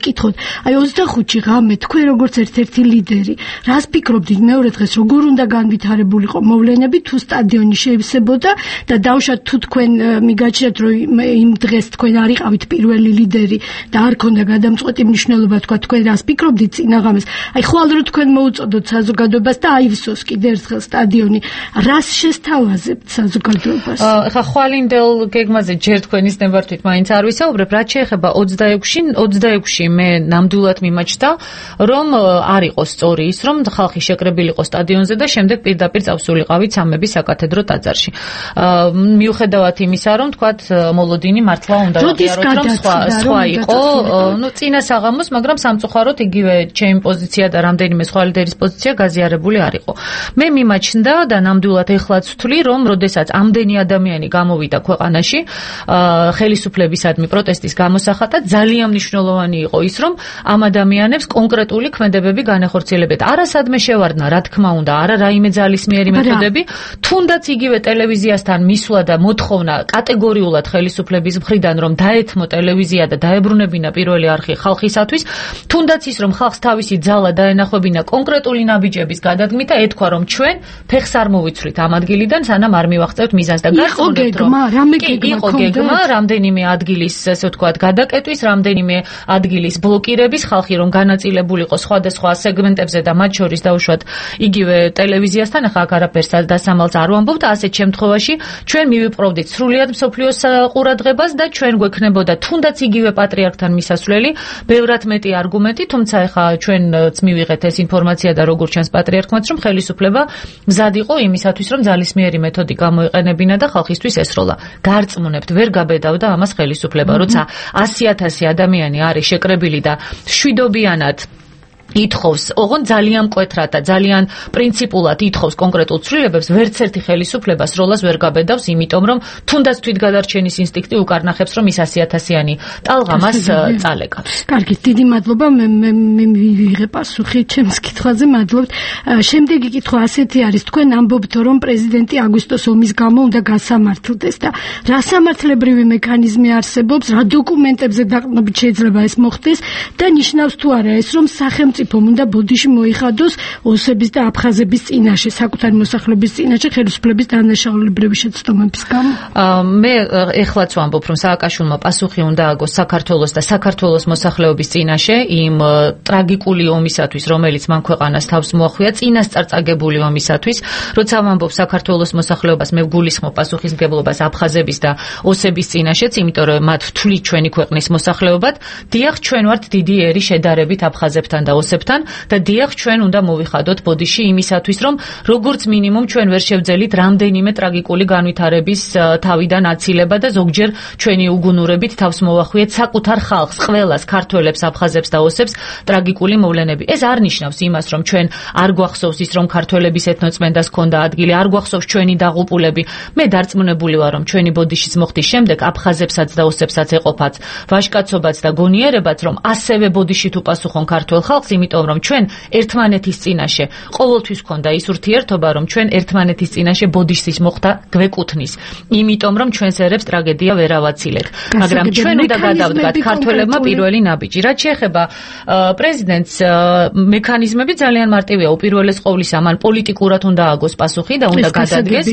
[SPEAKER 17] კითხოთ. აი 25-ში ღამე თქვენ როგორც ერთ-ერთი ლიდერი, რას ფიქრობდით მეორე დღეს როგორ უნდა განვითარებულიყო მოვლენები, თუ სტადიონი შეივსებოდა და დავშათ თუ თქვენ მიგაჩ გააჩნიათ რომ იმ დღეს თქვენ არ იყავით პირველი ლიდერი და არ ქონდა გადამწყვეტი მნიშვნელობა თქვენ რას ფიქრობდით წინაღამეს აი ხვალ რო თქვენ მოუწოდოთ საზოგადოებას და აივსოს კიდე ერთხელ სტადიონი რას შესთავაზებთ საზოგადოებას
[SPEAKER 18] ხა ხვალინდელ გეგმაზე ჯერ თქვენის ნებართვით მაინც არ ვისაუბრებ რაც შეეხება 26-ში მე ნამდვილად მიმაჩნდა რომ არ იყოს სწორი ის რომ ხალხი შეკრებილიყო სტადიონზე და შემდეგ პირდაპირ წავსულიყავით სამების საკათედრო ტაძარში მიუხედავად იმისა რომ თქვათ მოლოდინი მართლა უნდა აღიაროთ რომ სხვა იყო ნუ წინა საღამოს მაგრამ სამწუხაროდ იგივე ჩემი პოზიცია და რამდენიმე სხვა ლიდერის პოზიცია გაზიარებული არ იყო მე მიმაჩნდა და ნამდვილად ეხლაც ვთვლი რომ როდესაც ამდენი ადამიანი გამოვიდა ქვეყანაში ხელისუფლებისადმი პროტესტის გამოსახატად ძალიან მნიშვნელოვანი იყო ის რომ ამ ადამიანებს კონკრეტული ქმედებები განეხორციელებდეთ არასადმე შევარდნა რა თქმა უნდა არა რაიმე ძალისმიერი მეთოდები თუნდაც იგივე ტელევიზიასთან მისვლა და მოთხოვნა კატეგორიულად ხელისუფლების მხრიდან რომ დაეთმო ტელევიზია და დაებრუნებინა პირველი არხი ხალხისათვის თუნდაც ის რომ ხალხს თავისი ძალა დაენახებინა კონკრეტული ნაბიჯების გადადგმით და ეთქვა რომ ჩვენ ფეხს არ მოვიცვლით ამ ადგილიდან სანამ არ მივახცევთ მიზანს და გასწორებთ რომ იყო გეგმა რამდენიმე ადგილის ესე ვთქვათ გადაკეტვის რამდენიმე ადგილის ბლოკირების ხალხი რომ განაწილებულიყო სხვადასხვა სეგმენტებზე და მათ შორის დაუშვათ იგივე ტელევიზიასთან ახლა აქ არაფერს დასამალს არ ვამბობ და ასეთ შემთხვევაში ჩვენ მივიპყრობდით სრულიად მსოფლიოს ყურადღებას და ჩვენ გვექნებოდა თუნდაც იგივე პატრიარქთან მისასვლელი ბევრად მეტი არგუმენტი თუმცა ახლა ჩვენც მივიღეთ ეს ინფორმაცია და როგორც ჩანს პატრიარქმაც რომ ხელისუფლება მზად იყო იმისათვის რომ ძალისმიერი მეთოდი გამოეყენებინა და ხალხისთვის ესროლა გარწმუნებთ ვერ გაბედავდა ამას ხელისუფლება როცა 100,000 ადამიანი არის შეკრებილი და შვიდობიანად ითხოვს, ოღონ ძალიან მკვეთრად და ძალიან პრინციპულად ითხოვს კონკრეტულ ცვლილებებს, ვერც ერთი ხელისუფლება სროლას ვერ გაბედავს, იმიტომ რომ თუნდაც თვითგადარჩენის ინსტინქტი უკარნახებს, რომ ის 100,000-იანი ტალღა მას წალეკავს.
[SPEAKER 17] კარგი, დიდი მადლობა, მე მივიღე პასუხი ჩემს კითხვაზე, მადლობთ. შემდეგი კითხვა ასეთი არის, თქვენ ამბობთ, რომ პრეზიდენტი აგვისტოს ომის გამო უნდა გასამართლდეს და რა სამართლებრივი მექანიზმი არსებობს, რა დოკუმენტებზე დაყრდნობით შეიძლება ეს მოხდეს და ნიშნავს თუ არა ეს, რომ სახელმწიფომ უნდა ბოდიში მოიხადოს ოსების და აფხაზების წინაშე, საკუთარი მოსახლეობის წინაშე ხელისუფლების დანაშაულებრივი შეცდომების გამო?
[SPEAKER 18] მე ეხლაც ვამბობ, რომ სააკაშვილმა პასუხი უნდა აგოს საქართველოს და საქართველოს მოსახლეობის წინაშე იმ ტრაგიკული ომისათვის, რომელიც მან ქვეყანას თავს მოახვია, წინასწარ წაგებული ომისათვის, როცა ვამბობ საქართველოს მოსახლეობას, მე ვგულისხმობ პასუხისმგებლობას აფხაზების და ოსების წინაშეც, იმიტომ რომ მათ ვთვლით ჩვენი ქვეყნის მოსახლეობად, დიახ, ჩვენ ვართ დიდი ერი შედარებით აფხაზებთან და ოსებთან და დიახ ჩვენ უნდა მოვიხადოთ ბოდიში იმისათვის რომ როგორც მინიმუმ ჩვენ ვერ შევძელით რამდენიმე ტრაგიკული განვითარების თავიდან აცილება და ზოგჯერ ჩვენი უგუნურებით თავს მოვახვიეთ საკუთარ ხალხს, ყველას, ქართველებს, აფხაზებს და ოსებს ტრაგიკული მოვლენები. ეს არ ნიშნავს იმას რომ ჩვენ არ გვახსოვს ის რომ ქართველების ეთნოწმენდას ჰქონდა ადგილი, არ გვახსოვს ჩვენი დაღუპულები. მე დარწმუნებული ვარ რომ ჩვენი ბოდიშის მოხდის შემდეგ აფხაზებსაც და ოსებსაც ეყოფათ ვაჟკაცობაც და გონიერებაც რომ ასევე ბოდიში თუ პასუხონ ქართველ ხალხს, იმიტომ რომ ჩვენ ერთმანეთის წინაშე ყოველთვის ჰქონდა ის ურთიერთობა, რომ ჩვენ ერთმანეთის წინაშე ბოდიშის მოხდა გვეკუთვნის, იმიტომ რომ ჩვენს ერებს ტრაგედია ვერ ავაცილეთ. მაგრამ ჩვენ უნდა გადავდგათ ქართველებმა პირველი ნაბიჯი. რაც შეეხება პრეზიდენტს, მექანიზმები ძალიან მარტივია. უპირველეს ყოვლისა, მან პოლიტიკურად უნდა ააგოს პასუხი და უნდა გადადგეს,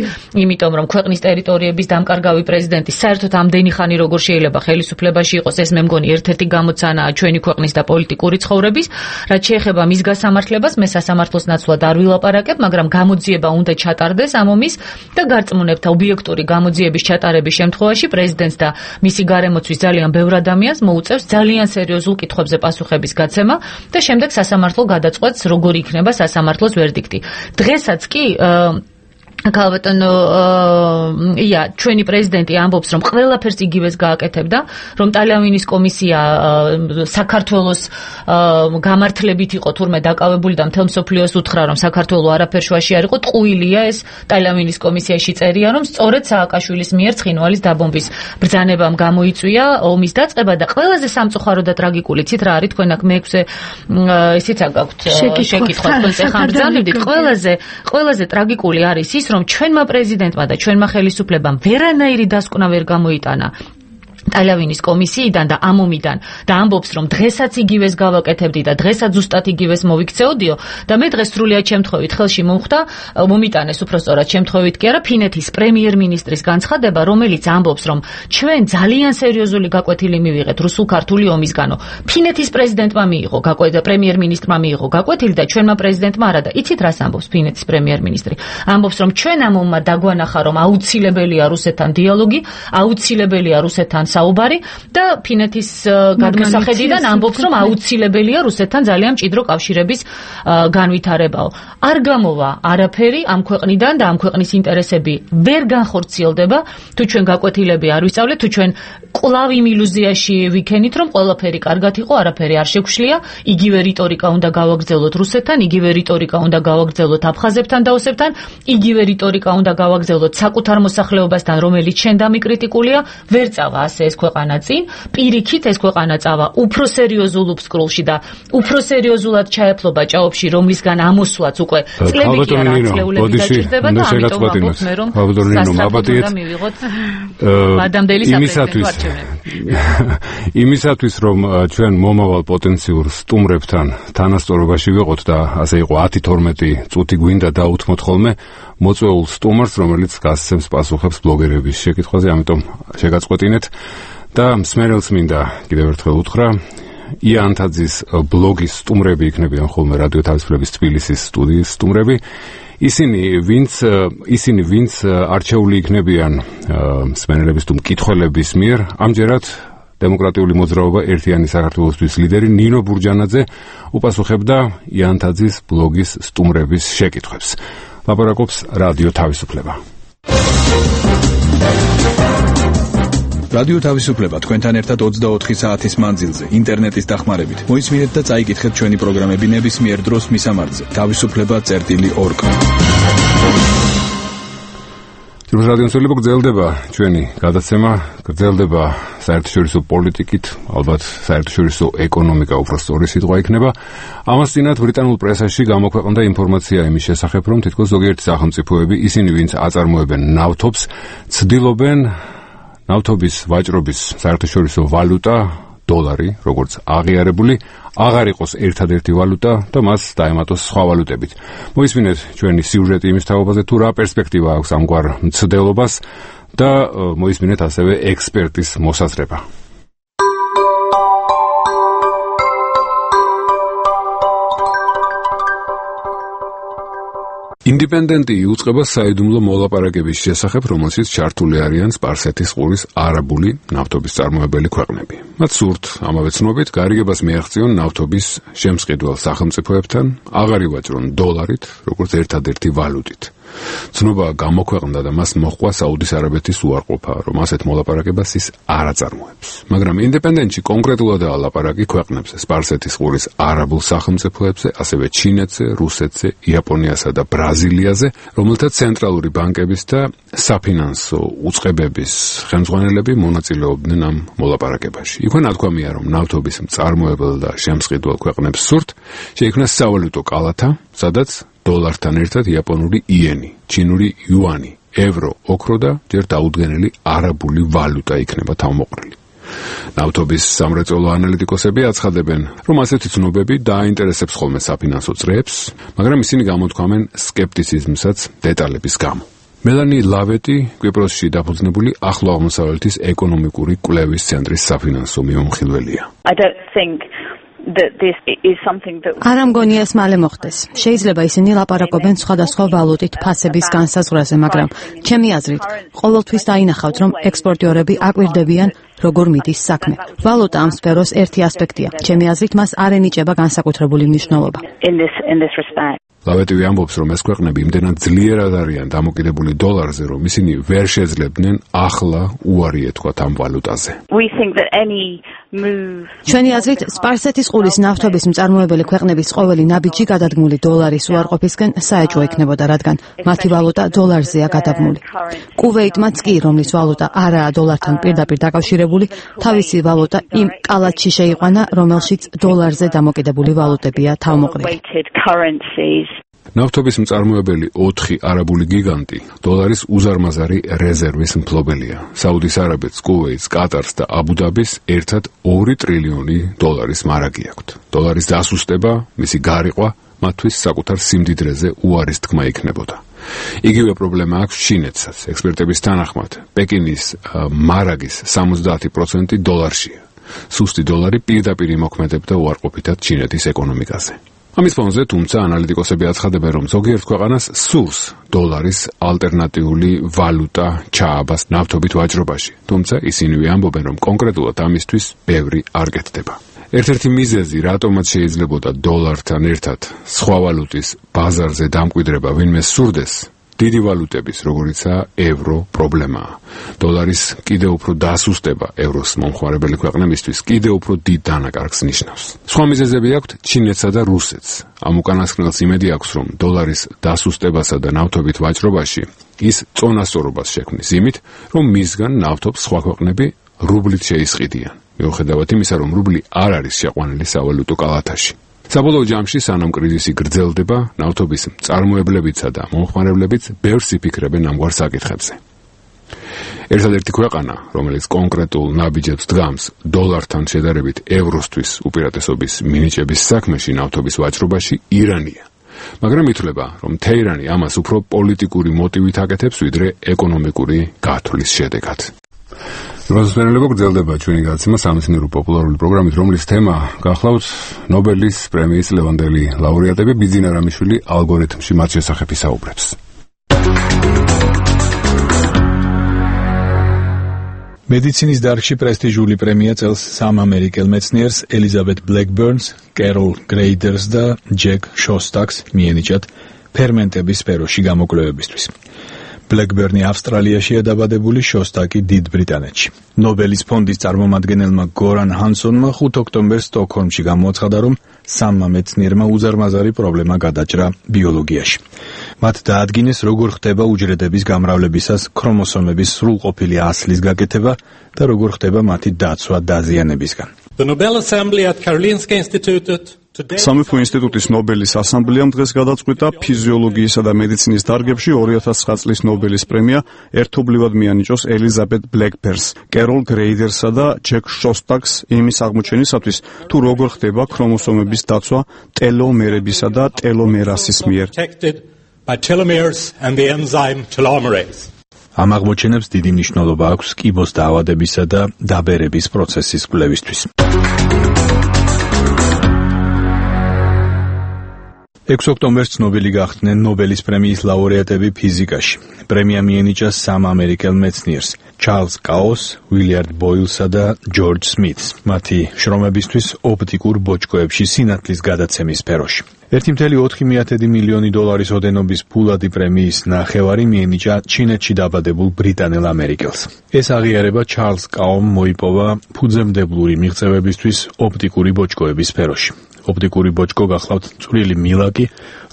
[SPEAKER 18] იმიტომ რომ ქვეყნის ტერიტორიების დამკარგავი პრეზიდენტი საერთოდ ამდენი ხანი როგორ შეიძლება ხელისუფლებაში იყოს, ეს მე მგონი ერთ-ერთი გამოცანაა ჩვენი ქვეყნის და პოლიტიკური ცხოვრების. რაც შეეხება მის გასამართლებას, მე სასამართლოს ნაცვლად არ ვილაპარაკებ, მაგრამ გამოძიება უნდა ჩატარდეს ამ ომის და გარწმუნებთ ობიექტური გამოძიების ჩატარების შემთხვევაში პრეზიდენტს და მისი გარემოცვის ძალიან ბევრ ადამიანს მოუწევს ძალიან სერიოზულ კითხვებზე პასუხების გაცემა და შემდეგ სასამართლო გადაწყვეტს როგორი იქნება სასამართლოს ვერდიქტი. დღესაც კი ქალბატონო ჩვენი პრეზიდენტი ამბობს, რომ ყველაფერს იგივეს გააკეთებდა, რომ ტალიანის კომისია საქართველოს გამართლებით იყო თურმე დაკავებული და მთელ მსოფლიოს უთხრა, რომ საქართველო არაფერ შუაში არ იყო, ტყუილია ეს ტალიანის კომისიაში წერია, რომ სწორედ სააკაშვილის მიერ ცხინვალის დაბომბვის ბრძანებამ გამოიწვია ომის დაწყება და ყველაზე სამწუხარო და ტრაგიკული ცით რა არის, თქვენ აქ მე-6 ისიც აგაქვთ შეკითხვა, თქვენ ახლა ბრძანებდით, ყველაზე ტრაგიკული არის ის, რომ ჩვენმა პრეზიდენტმა და ჩვენმა ხელისუფლებამ ვერანაირი დასკვნა ვერ გამოიტანა ტალავინის კომისიიდან და ამ ომიდან და ამბობს რომ დღესაც იგივეს გავაკეთებდი და დღესაც ზუსტად იგივეს მოვიქცეოდიო და მე დღეს სრულიად შემთხვევით ხელში მომხვდა მომიტანეს უпростоრად შემთხვევით კი არა ფინეთის პრემიერ-მინისტრის განცხადება რომელიც ამბობს რომ ჩვენ ძალიან სერიოზული გაკვეთილი მივიღეთ რუსულ-ქართული ომისგანო ფინეთის პრეზიდენტმა მიიღო პრემიერ-მინისტრმა მიიღო გაკვეთილი და ჩვენმა პრეზიდენტმა არა და იცით რას ამბობს ფინეთის პრემიერ-მინისტრი ამბობს რომ ჩვენ ამ ომმა დაგვანახა რომ აუცილებელია რუსეთთან დიალოგი აუცილებელია რუსეთთან საუბარი და ფინეთის გადმოსახედიდან ამბობს რომ აუცილებელია რუსეთთან ძალიან მჭიდრო კავშირების განვითარებაო. არ გამოვა არაფერი ამ ქვეყნიდან და ამ ქვეყნის ინტერესები ვერ განხორციელდება თუ ჩვენ გაკვეთილები არ ვისწავლეთ თუ ჩვენ კვლავ იმ ილუზიაში ვიქენით რომ ყველაფერი კარგად იყო არაფერი არ შეგვშლია იგივე რიტორიკა უნდა გავაგრძელოთ რუსეთთან იგივე რიტორიკა უნდა გავაგრძელოთ აფხაზებთან და ოსებთან იგივე რიტორიკა უნდა გავაგრძელოთ საკუთარ მოსახლეობასთან რომელიც შენ დამიკრიტიკულია ვერ წავა ასე ეს ქვეყანა წინ პირიქით ეს ქვეყანა წავა უფრო სერიოზულ უბსკრულში და უფრო სერიოზულად ჩაეფლობა ჭაობში რომლისგან ამოსვლაც უკვე წლები კი არა წლეულები დაჭირდება და ამიტომ ვამბობ მე რომ სასწრაფოდ მივიღოთ ადამიანის
[SPEAKER 1] იმისათვის რომ ჩვენ მომავალ პოტენციურ სტუმრებთან თანასწორობაში ვიყოთ და ასე იყო 10-12 წუთი გვინდა დაუთმოთ ხოლმე მოწვეულ სტუმარს რომელიც გასცემს პასუხებს ბლოგერების შეკითხვაზე ამიტომ შეგაწყვეტინეთ და მსმენელს მინდა კიდევ ერთხელ უთხრა იანთაძის ბლოგის სტუმრები იქნებიან ხოლმე რადიო თავისუფლების თბილისის სტუდიის სტუმრები ისინი ვინც არჩეული იქნებიან მსმენელების თუ მკითხველების მიერ ამჯერად დემოკრატიული მოძრაობა ერთიანი საქართველოსთვის ლიდერი ნინო ბურჯანაძე უპასუხებდა იანთაძის ბლოგის სტუმრების შეკითხვებს ლაპარაკობს რადიო თავისუფლება
[SPEAKER 4] რადიო თავისუფლება თქვენთან ერთად 24 საათის მანძილზე ინტერნეტის დახმარებით. მოისმინეთ და წაიკითხეთ ჩვენი პროგრამები ნებისმიერ დროს მისამართზე. თავისუფლება.org.
[SPEAKER 1] ჯერ რადიოსელები გრძელდება ჩვენი გადაცემა, გრძელდება საერთაშორისო პოლიტიკით, ალბათ საერთაშორისო ეკონომიკა უფრო სწორი სიტყვა იქნება. ამას წინათ ბრიტანულ პრესაში გამოქვეყნდა ინფორმაცია იმის შესახებ, რომ თითქოს ზოგიერთი სახელმწიფოები ისინი, ვინც აწარმოებენ ნავთობს, ცდილობენ ნავთობის ვაჭრობის საერთაშორისო ვალუტა დოლარი, როგორც აღიარებული, აღარ იყოს ერთადერთი ვალუტა და მას დაემატოს სხვა ვალუტებით. მოისმინეთ ჩვენი სიუჟეტი იმის თაობაზე, თუ რა პერსპექტივა აქვს ამგვარ მცდელობას და მოისმინეთ ასევე ექსპერტის მოსაზრება. ინდიპენდენტი იუწყება საიდუმლო მოლაპარაკების შესახებ, რომელშიც ჩართული არიან სპარსეთის ყურის არაბული ნავთობის წარმოებელი ქვეყნები. მათ სურთ ამავე ცნობით გარიგებას მიაღწიონ ნავთობის შემსყიდველ სახელმწიფოებთან, აღარ ივაჭრონ დოლარით, როგორც ერთადერთი ვალუტით. ცნობა გამოქვეყნდა და მას მოჰყვა საუდის არაბეთის უარყოფა, რომ ასეთ მოლაპარაკებას ის არ აწარმოებს. მაგრამ ინდიპენდენტში კონკრეტულადაა ლაპარაკი ქვეყნებზე, სპარსეთის ყურის არაბულ სახელმწიფოებზე, ასევე ჩინეთზე, რუსეთზე, იაპონიასა და ბრაზილიაზე, რომელთა ცენტრალური ბანკების და საფინანსო უწყებების ხელმძღვანელები მონაწილეობდნენ ამ მოლაპარაკებაში. იქვე ნათქვამია, რომ ნავთობის მწარმოებელ და შემსყიდველ ქვეყნებს სურთ შეიქმნას სავალუტო კალათა, სადაც დოლართან ერთად იაპონური იენი, ჩინური იუანი, ევრო, ოქრო და ჯერ დაუდგენელი არაბული ვალუტა იქნება თავმოყრილი. ნავთობის სამრეწველო ანალიტიკოსები აცხადებენ, რომ ასეთი ცნობები დააინტერესებს ხოლმე საფინანსო წრეებს, მაგრამ ისინი გამოთქვამენ სკეპტიციზმსაც დეტალების გამო. მელანი ლავეტი, კვიპროსში დაფუძნებული ახლო აღმოსავლეთის ეკონომიკური კვლევის ცენტრის საფინანსო მიმოხილველია.
[SPEAKER 19] არა მგონია ეს მალე მოხდეს. შეიძლება ისინი ლაპარაკობენ სხვადასხვა ვალუტით ფასების განსაზღვრაზე, მაგრამ ჩემი აზრით, ყოველთვის დაინახავთ, რომ ექსპორტიორები აკვირდებიან, როგორ მიდის საქმე. ვალუტა ამ სფეროს ერთი ასპექტია. ჩემი აზრით, მას არ ენიჭება განსაკუთრებული მნიშვნელობა.
[SPEAKER 1] ლავეტივი ამბობს, რომ ეს ქვეყნები იმდენად ძლიერად არიან დამოკიდებული დოლარზე, რომ ისინი ვერ შეძლებდნენ ახლა უარი ეთქვათ ამ ვალუტაზე.
[SPEAKER 19] ჩვენი აზრით, სპარსეთის ყურის ნავთობის მწარმოებელი ქვეყნების ყოველი ნაბიჯი გადადგმული დოლარის უარყოფისკენ საეჭვო იქნებოდა, რადგან მათი ვალუტა დოლარზეა გადაბმული. კუვეიტმაც კი, რომლის ვალუტა არაა დოლართან პირდაპირ დაკავშირებული, თავისი ვალუტა იმ კალათში შეიყვანა, რომელშიც დოლარზე დამოკიდებული ვალუტებია თავმოყრილი.
[SPEAKER 1] ნავთობის მწარმოებელი 4 არაბული გიგანტი დოლარის უზარმაზარი რეზერვის მფლობელია. საუდის არაბეთს, კუვეიტს, კატარს და აბუ-დაბის ერთად 2 ტრილიონი დოლარის მარაგი აქვთ. დოლარის დასუსტება, მისი გარიყვა მათთვის საკუთარ სიმდიდრეზე უარის თქმა იქნებოდა. იგივე პრობლემა აქვს ჩინეთსაც. ექსპერტების თანახმად, პეკინის მარაგის 70% დოლარშია. სუსტი დოლარი პირდაპირ იმოქმედებდა უარყოფითად ჩინეთის ეკონომიკაზე. ამის ფონზე, თუმცა, ანალიტიკოსები აცხადებენ, რომ ზოგიერთ ქვეყანას სურს დოლარის ალტერნატიული ვალუტა ჩააბას ნავთობით ვაჭრობაში. თუმცა, ისინი ამბობენ, რომ კონკრეტულად ამისთვის ბევრი არ კეთდება. ერთ-ერთი მიზეზი, რატომაც შეიძლებოდა დოლართან ერთად სხვა ვალუტის ბაზარზე დამკვიდრება ვინმე სურდეს, დიდი ვალუტების, როგორიცაა ევრო, პრობლემაა. დოლარის კიდევ უფრო დასუსტება ევროს მომხმარებელი ქვეყნებისთვის კიდევ უფრო დიდ დანაკარგს ნიშნავს. სხვა მიზეზები აქვთ ჩინეთსა და რუსეთს. ამ უკანასკნელს იმედი აქვს, რომ დოლარის დასუსტებასა და ნავთობით ვაჭრობაში ის წონასწორობას შექმნის იმით, რომ მისგან ნავთობს სხვა ქვეყნები რუბლით შეისყიდიან. მიუხედავად იმისა, რომ რუბლი არ არის შეყვანილი სავალუტო კალათაში. საბოლოო ჯამში, სანამ კრიზისი გრძელდება, ნავთობის მწარმოებლებიცა და მომხმარებლებიც ბევრს იფიქრებენ ამგვარ საკითხებზე. ერთადერთი ქვეყანა, რომელიც კონკრეტულ ნაბიჯებს დგამს დოლართან შედარებით ევროსთვის უპირატესობის მინიჭების საქმეში ნავთობის ვაჭრობაში, ირანია. მაგრამ ითვლება, რომ თეირანი ამას უფრო პოლიტიკური მოტივით აკეთებს, ვიდრე ეკონომიკური გათვლის შედეგად. მოსმენელებო, გრძელდება ჩვენი გადაცემა სამეცნიერო პოპულარული პროგრამით, რომლის თემა გახლავთ ნობელის პრემიის ლევანდელი ლაურეატები. ბიძინა რამიშვილი ალგორითმში მათ შესახებ ისაუბრებს.
[SPEAKER 4] მედიცინის დარგში პრესტიჟული პრემია წელს 3 ამერიკელ მეცნიერს ელიზაბეთ ბლეკბერნს, კეროლ გრეიდერს და ჯეკ შოსტაკს მიენიჭათ ფერმენტების სფეროში გამოკვლევებისთვის. ბლეკბერნი ავსტრალიაშია დაბადებული, შოსტაკი დიდ ბრიტანეთში. ნობელის ფონდის წარმომადგენელმა გორან ჰანსონმა 5 ოქტომბერს სტოკჰოლმში გამოაცხადა, რომ 3 მეცნიერმა უზარმაზარი პრობლემა გადაჭრა ბიოლოგიაში. მათ დაადგინეს, როგორ ხდება უჯრედების გამრავლებისას ქრომოსომების სრულყოფილი ასლის გაკეთება და როგორ ხდება მათი დაცვა დაზიანებისგან.
[SPEAKER 20] The Nobel Assembly at Karolinska Institutet
[SPEAKER 14] სამეფო ინსტიტუტის ნობელის ასამბლეამ დღეს გადაწყვიტა ფიზიოლოგიისა და მედიცინის დარგებში 2009 წლის ნობელის პრემია ერთობლივად მიანიჭოს ელიზაბეთ ბლეკბერნს, კეროლ გრეიდერსსა და ჯეკ შოსტაკს იმის აღმოჩენისათვის, თუ როგორ ხდება ქრომოსომების დაცვა ტელომერებისა და ტელომერასის მიერ. ამ აღმოჩენებს დიდი მნიშვნელობა აქვს კიბოს დაავადებისა და დაბერების პროცესის კვლევისთვის. 6 ოქტომბერს ცნობილი გახდნენ ნობელის პრემიის ლაურეატები ფიზიკაში. პრემია მიენიჭა 3 ამერიკელ მეცნიერს, ჩარლზ კაოს, უილიარდ ბოილსა და ჯორჯ სმითს, მათი შრომებისთვის ოპტიკურ ბოჭკოებში სინათლის გადაცემის სფეროში. 1,4 მილიონი დოლარის ოდენობის ფულადი პრემიის ნახევარი მიენიჭა ჩინეთში დაბადებულ ბრიტანელ ამერიკელს. ეს აღიარება ჩარლზ კაომ მოიპოვა ფუძემდებლური მიღწევებისთვის ოპტიკური ბოჭკოების სფეროში. ოპტიკური ბოჭკო გახლავთ წვრილი მილაკი,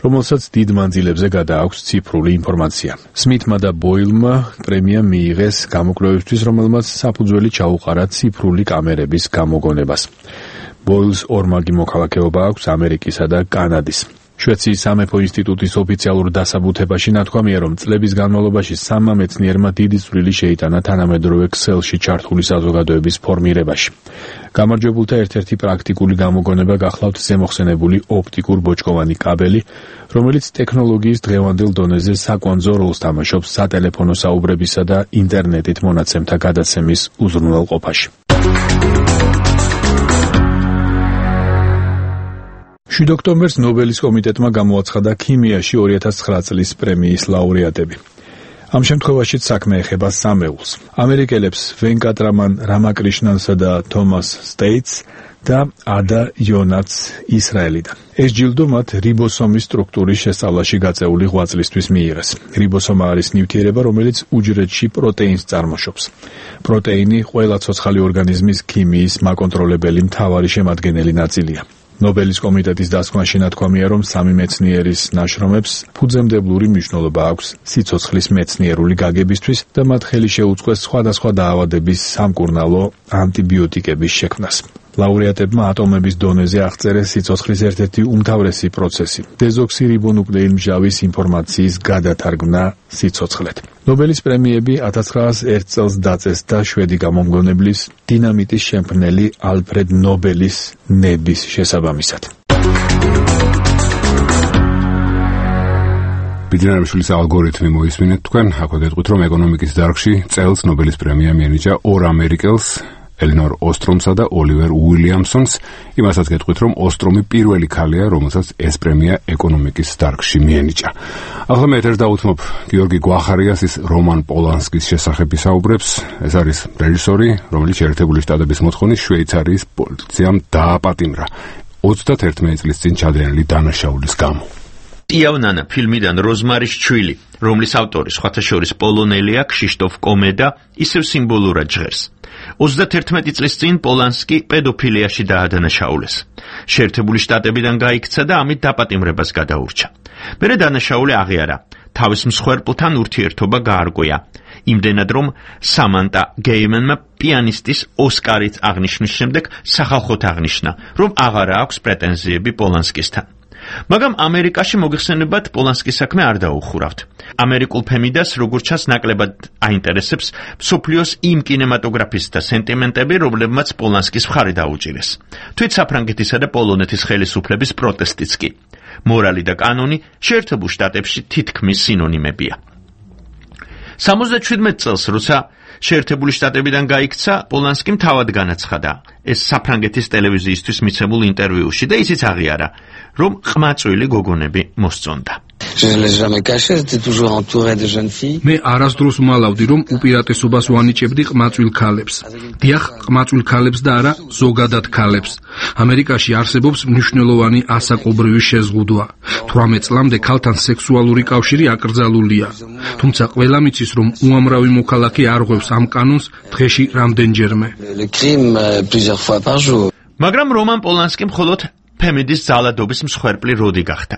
[SPEAKER 14] რომელსაც დიდ მანძილებზე გადააქვს ციფრული ინფორმაცია. სმითმა და ბოილმა პრემია მიიღეს გამოკვლევისთვის, რომელმაც საფუძველი ჩაუყარა ციფრული კამერების გამოგონებას. ბოილს ორმაგი მოქალაქეობა აქვს ამერიკისა და კანადის. შვეიცარიის სამეფო ინსტიტუტის ოფიციალურ დასაბუთებაში ნათქვამია, რომ წლების განმავლობაში 3 მეცნიერმა დიდი წვლილი შეიტანა თანამედროვე ქსელში ჩართული საზოგადოების ფორმირებაში. გამარჯვებულთა ერთ-ერთი პრაქტიკული გამოგონება გახლავთ ზემოხსენებული ოპტიკურ-ბოჭკოვანი კაბელი, რომელიც ტექნოლოგიის დღევანდელ დონეზე საკვანძო როლს თამაშობს სატელეფონო საუბრებისა და ინტერნეტით მონაცემთა გადაცემის უზრუნველყოფაში. 7 ოქტომბერს ნობელის კომიტეტმა გამოაცხადა ქიმიაში 2009 წლის პრემიის ლაურეატები. ამ შემთხვევაშიც საქმე ეხება სამეულს. ამერიკელებს ვენკატრამან რამაკრიშნანსა და თომას სტეიტს და ადა იონაც ისრაელიდან. ეს ჯილდო მათ რიბოსომის სტრუქტურის შესწავლაში გაწეული ღვაწლისთვის მიიღეს. რიბოსომა არის ნივთიერება, რომელიც უჯრედში პროტეინს წარმოშობს. პროტეინი ყველა ცოცხალი ორგანიზმის ქიმიის მაკონტროლებელი მთავარი შემადგენელი ნაწილია. ნობელის კომიტეტის დასკვნაში ნათქვამია, რომ 3 მეცნიერის ნაშრომებს ფუძემდებლური მნიშვნელობა აქვს სიცოცხლის მეცნიერული გაგებისთვის და მათ ხელი შეუწყეს სხვადასხვა დაავადების სამკურნალო ანტიბიოტიკების შექმნას.
[SPEAKER 4] ლაურეატებმა ატომების დონეზე აღწერეს სიცოცხლის ერთ-ერთი უმთავრესი პროცესი დეზოქსირიბონუკლეინმჟავის ინფორმაციის გადათარგმნა სიცოცხლედ. ნობელის პრემიები 1901 წელს დაწეს და შვედი გამომგონებლის დინამიტის შემქმნელი ალფრედ ნობელის ნების შესაბამისად.
[SPEAKER 1] ბიძინარიშვილის ალგორითმი მოისმინეთ თქვენ, აქ გეტყვით, რომ ეკონომიკის დარგში წელს ნობელის პრემია მიენიჭა ორ ამერიკელს, ელინორ ოსტრომსა და ოლივერ უილიამსონს. იმასაც გეტყვით, რომ ოსტრომი პირველი ქალია, რომელსაც ეს პრემია ეკონომიკის დარგში მიენიჭა. ახლა მე ეთერს დავუთმობ გიორგი გვახარიას, ის რომან პოლანსკის შესახებ ისაუბრებს. ეს არის რეჟისორი, რომელიც შეერთებული შტატების მოთხოვნით შვეიცარიის პოლიციამ დააპატიმრა 31 წლის წინ ჩადენილი დანაშაულის გამო.
[SPEAKER 21] იავნანა ფილმიდან როზმარის ჩვილი, რომლის ავტორი სხვათა შორის პოლონელია ქშიშტოფ კომედა, ისევ სიმბოლურად ჟღერს. 31 წლის წინ პოლანსკი პედოფილიაში დაადანაშაულეს. შეერთებული შტატებიდან გაიქცა და ამით დაპატიმრებას გადაურჩა. მერე დანაშაული აღიარა, თავის მსხვერპლთან ურთიერთობა გაარკვია. იმდენად, რომ სამანტა გეიმენმა პიანისტის ოსკარით აღნიშნვის შემდეგ სახალხოდ აღნიშნა, რომ აღარა აქვს პრეტენზიები პოლანსკისთან. მაგრამ ამერიკაში მოგეხსენებათ პოლანსკის საქმე არ დაუხურავთ. ამერიკულ ფემიდას როგორც ჩანს ნაკლებად აინტერესებს მსოფლიოს იმ კინემატოგრაფისტთა სენტიმენტები, რომლებმაც პოლანსკის მხარე დაუჭირეს. თვით საფრანგეთისა და პოლონეთის ხელისუფლების პროტესტიც კი. მორალი და კანონი შეერთებულ შტატებში თითქმის სინონიმებია. 77 წელს, როცა შეერთებული შტატებიდან გაიქცა, პოლანსკიმ თავად განაცხადა ეს საფრანგეთის ტელევიზიისთვის მიცემულ ინტერვიუში და ისიც აღიარა, რომ ყმაწვილი გოგონები მოსწონდა.
[SPEAKER 10] მე არასდროს ვალავდი, რომ უპირატესობას ვანიჭებდი ყმაწვილ ქალებს. დიახ, ყმაწვილ ქალებს და არა ზოგადად ქალებს. ამერიკაში არსებობს მნიშვნელოვანი ასაკობრივი შეზღუდვა. 18 წლამდე ქალთან სექსუალური კავშირი აკრძალულია. თუმცა ყველა მიცის, რომ უამრავი მოქალაქე არ ღვევს ამ კანონს დღეში რამდენჯერმე.
[SPEAKER 21] მაგრამ რომან პოლანსკი მხოლოდ ფემიდის ძალადობის მსხვერპლი როდი გახდა.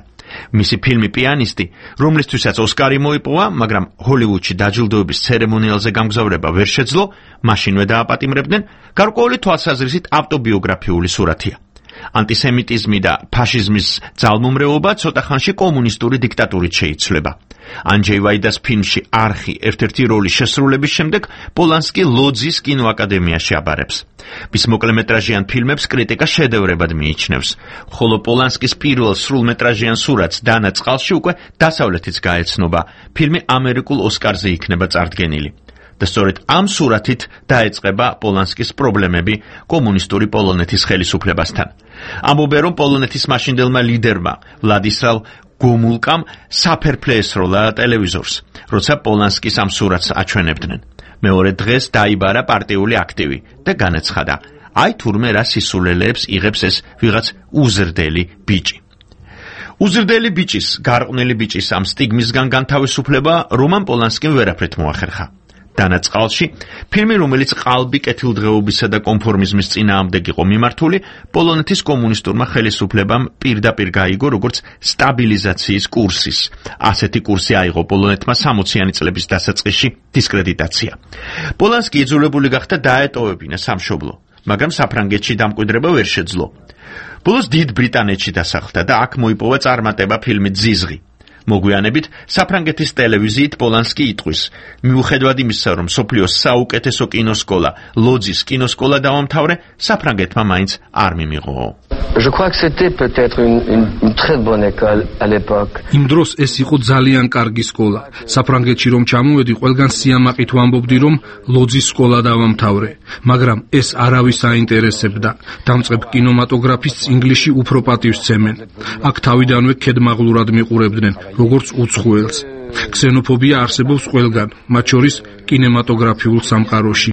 [SPEAKER 21] მისი ფილმი პიანისტი, რომლისთვისაც ოსკარი მოიპოვა, მაგრამ ჰოლივუდში დაჯილდოების ცერემონიალზე გამგზავრება ვერ შეძლო, მაშინვე დააპატიმრებდნენ, გარკვეული თვალსაზრისით ავტობიოგრაფიული სურათია. ანტისემიტიზმი და ფაშიზმის ძალმომრეობა ცოტა ხანში კომუნისტური დიქტატურით შეიცვლება. ანჯეი ვაიდას ფილმში არხი ერთ-ერთი როლის შესრულების შემდეგ პოლანსკი ლოძის კინოაკადემიაში აბარებს. მის მოკლემეტრაჟიან ფილმებს კრიტიკა შედევრებად მიიჩნევს, ხოლო პოლანსკის პირველ სრულმეტრაჟიან სურათს დანა წყალში უკვე დასავლეთიც გაეცნობა, ფილმი ამერიკულ ოსკარზე იქნება წარდგენილი. და სწორედ ამ სურათით დაეწყება პოლანსკის პრობლემები კომუნისტური პოლონეთის ხელისუფლებასთან. ამბობენ, რომ პოლონეთის მაშინდელმა ლიდერმა ვლადისლავ გომულკამ საფერფლე ესროლა ტელევიზორს, როცა პოლანსკის ამ სურათს აჩვენებდნენ. მეორე დღეს დაიბარა პარტიული აქტივი და განაცხადა, აი თურმე რა სისულელეებს იღებს ეს ვიღაც უზრდელი ბიჭი. უზრდელი ბიჭის, გარყვნილი ბიჭის ამ სტიგმისგან განთავისუფლება რომან პოლანსკიმ ვერაფრით მოახერხა. დანაწყალში, ფილმი, რომელიც ყალბი კეთილდღეობისა და კონფორმიზმის წინააღმდეგ იყო მიმართული, პოლონეთის კომუნისტურმა ხელისუფლებამ პირდაპირ გაიგო როგორც სტაბილიზაციის კურსის. ასეთი კურსი აიღო პოლონეთმა 60-იანი წლების დასაწყისში დისკრედიტაცია. პოლანსკი იძულებული გახდა დაეტოვებინა სამშობლო, მაგრამ საფრანგეთში დამკვიდრება ვერ შეძლო. ბოლოს დიდ ბრიტანეთში დასახლდა და აქ მოიპოვა წარმატება ფილმით ზიზღი. მოგვიანებით საფრანგეთის ტელევიზიით პოლანსკი იტყვის, მიუხედავად იმისა, რომ მსოფლიოს საუკეთესო კინოსკოლა, ლოძის კინოსკოლა დაამთავრე, საფრანგეთმა მაინც არ მიმიღო.
[SPEAKER 10] იმ დროს ეს იყო ძალიან კარგი სკოლა. საფრანგეთში რომ ჩამოვედი, ყველგან სიამაყით ვამბობდი, რომ ლოძის სკოლა დავამთავრე, მაგრამ ეს არავის აინტერესებდა. დამწყებ კინემატოგრაფისტს ინგლისში უფრო პატივს სცემენ. აქ თავიდანვე ქედმაღლურად მიყურებდნენ, როგორც უცხოელს. ქსენოფობია არსებობს ყველგან, მათ შორის კინემატოგრაფიულ სამყაროში.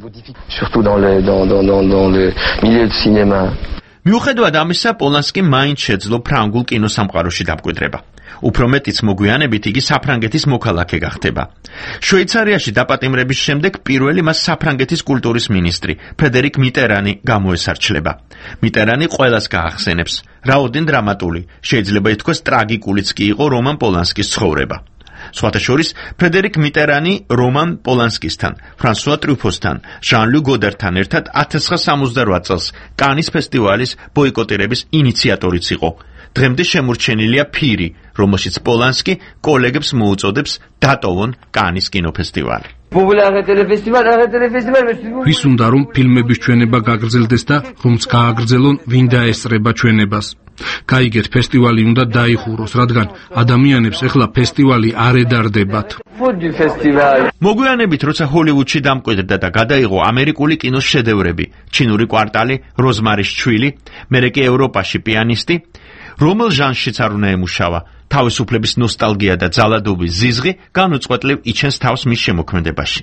[SPEAKER 21] მიუხედავად ამისა, პოლანსკიმ მაინც შეძლო ფრანგულ კინოსამყაროში დამკვიდრება. უფრო მეტიც მოგვიანებით იგი საფრანგეთის მოქალაქე გახდება. შვეიცარიაში დაპატიმრების შემდეგ პირველი მას საფრანგეთის კულტურის მინისტრი ფრედერიკ მიტერანი გამოესარჩლება. მიტერანი ყველას გაახსენებს, რაოდენ დრამატული, შეიძლება ითქვას ტრაგიკულიც კი იყო რომან პოლანსკის ცხოვრება. სხვათა შორის ფრედერიკ მიტერანი რომან პოლანსკისთან, ფრანსუა ტრუფოსთან, ჟან-ლუ გოდართან ერთად 1968 წელს კანის ფესტივალის ბოიკოტირების ინიციატორიც იყო. დღემდე შემორჩენილია ფირი, რომელშიც პოლანსკი კოლეგებს მოუწოდებს დატოვონ კანის კინოფესტივალი.
[SPEAKER 3] ვის უნდა რომ ფილმების ჩვენება გაგრძელდეს და რომც გააგრძელონ ვინ დაესწრება ჩვენებას. გაიგეთ, ფესტივალი უნდა დაიხუროს, რადგან ადამიანებს ეხლა ფესტივალი არ ედარდებათ.
[SPEAKER 21] მოგვიანებით, როცა ჰოლივუდში დამკვიდრდა და გადაიღო ამერიკული კინოს შედევრები, ჩინური კვარტალი, როზმარის ჩვილი, მერე კი ევროპაში პიანისტი, რომელ ჟანრშიც არ უნდა ემუშავა, თავისუფლების ნოსტალგია და ძალადობის ზიზღი განუწყვეტლივ იჩენს თავს მის შემოქმედებაში.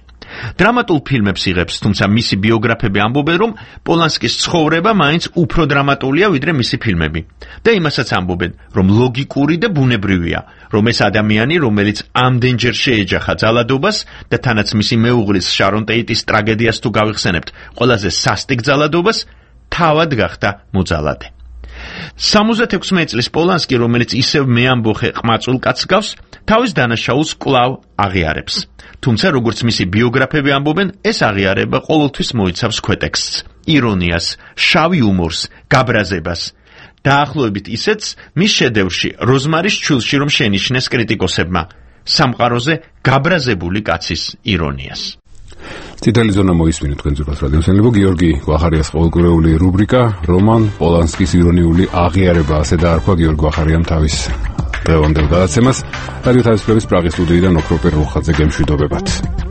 [SPEAKER 21] დრამატულ ფილმებს იღებს, თუმცა მისი ბიოგრაფები ამბობენ, რომ პოლანსკის ცხოვრება მაინც უფრო დრამატულია ვიდრე მისი ფილმები. და იმასაც ამბობენ, რომ ლოგიკური და ბუნებრივია, რომ ეს ადამიანი, რომელიც ამდენჯერ შეეჯახა ძალადობას და თანაც მისი მეუღლის შარონ ტეიტის ტრაგედიას თუ გავიხსენებთ, ყველაზე სასტიკ ძალადობას, თავად გახდა მოძალადე. 76 წლის პოლანსკი, რომელიც ისევ მეამბოხე ყმაწულ კაცს გავს, თავის დანაშაულს კვლავ აღიარებს. თუმცა, როგორც მისი ბიოგრაფები ამბობენ, ეს აღიარება ყოველთვის მოიცავს ქვეტექსტს, ირონიას, შავ იუმორს, გაბრაზებას. დაახლოებით ისეთს მის შედევრში როზმარის ჩვილში რომ შენიშნეს კრიტიკოსებმა, სამყაროზე გაბრაზებული კაცის ირონიას.
[SPEAKER 1] წითელი ზონა მოისმინეთ თქვენ ძვირფას რადიოსმენელებო, გიორგი გვახარიას ყოველკვირეული რუბრიკა რომან პოლანსკის ირონიული აღიარება, ასე დაარქვა გიორგი გვახარიამ თავის დღევანდელ გადაცემას. რადიო თავისუფლების პრაღის სტუდიიდან ოქროპერ რუხაძე გემშვიდობებათ.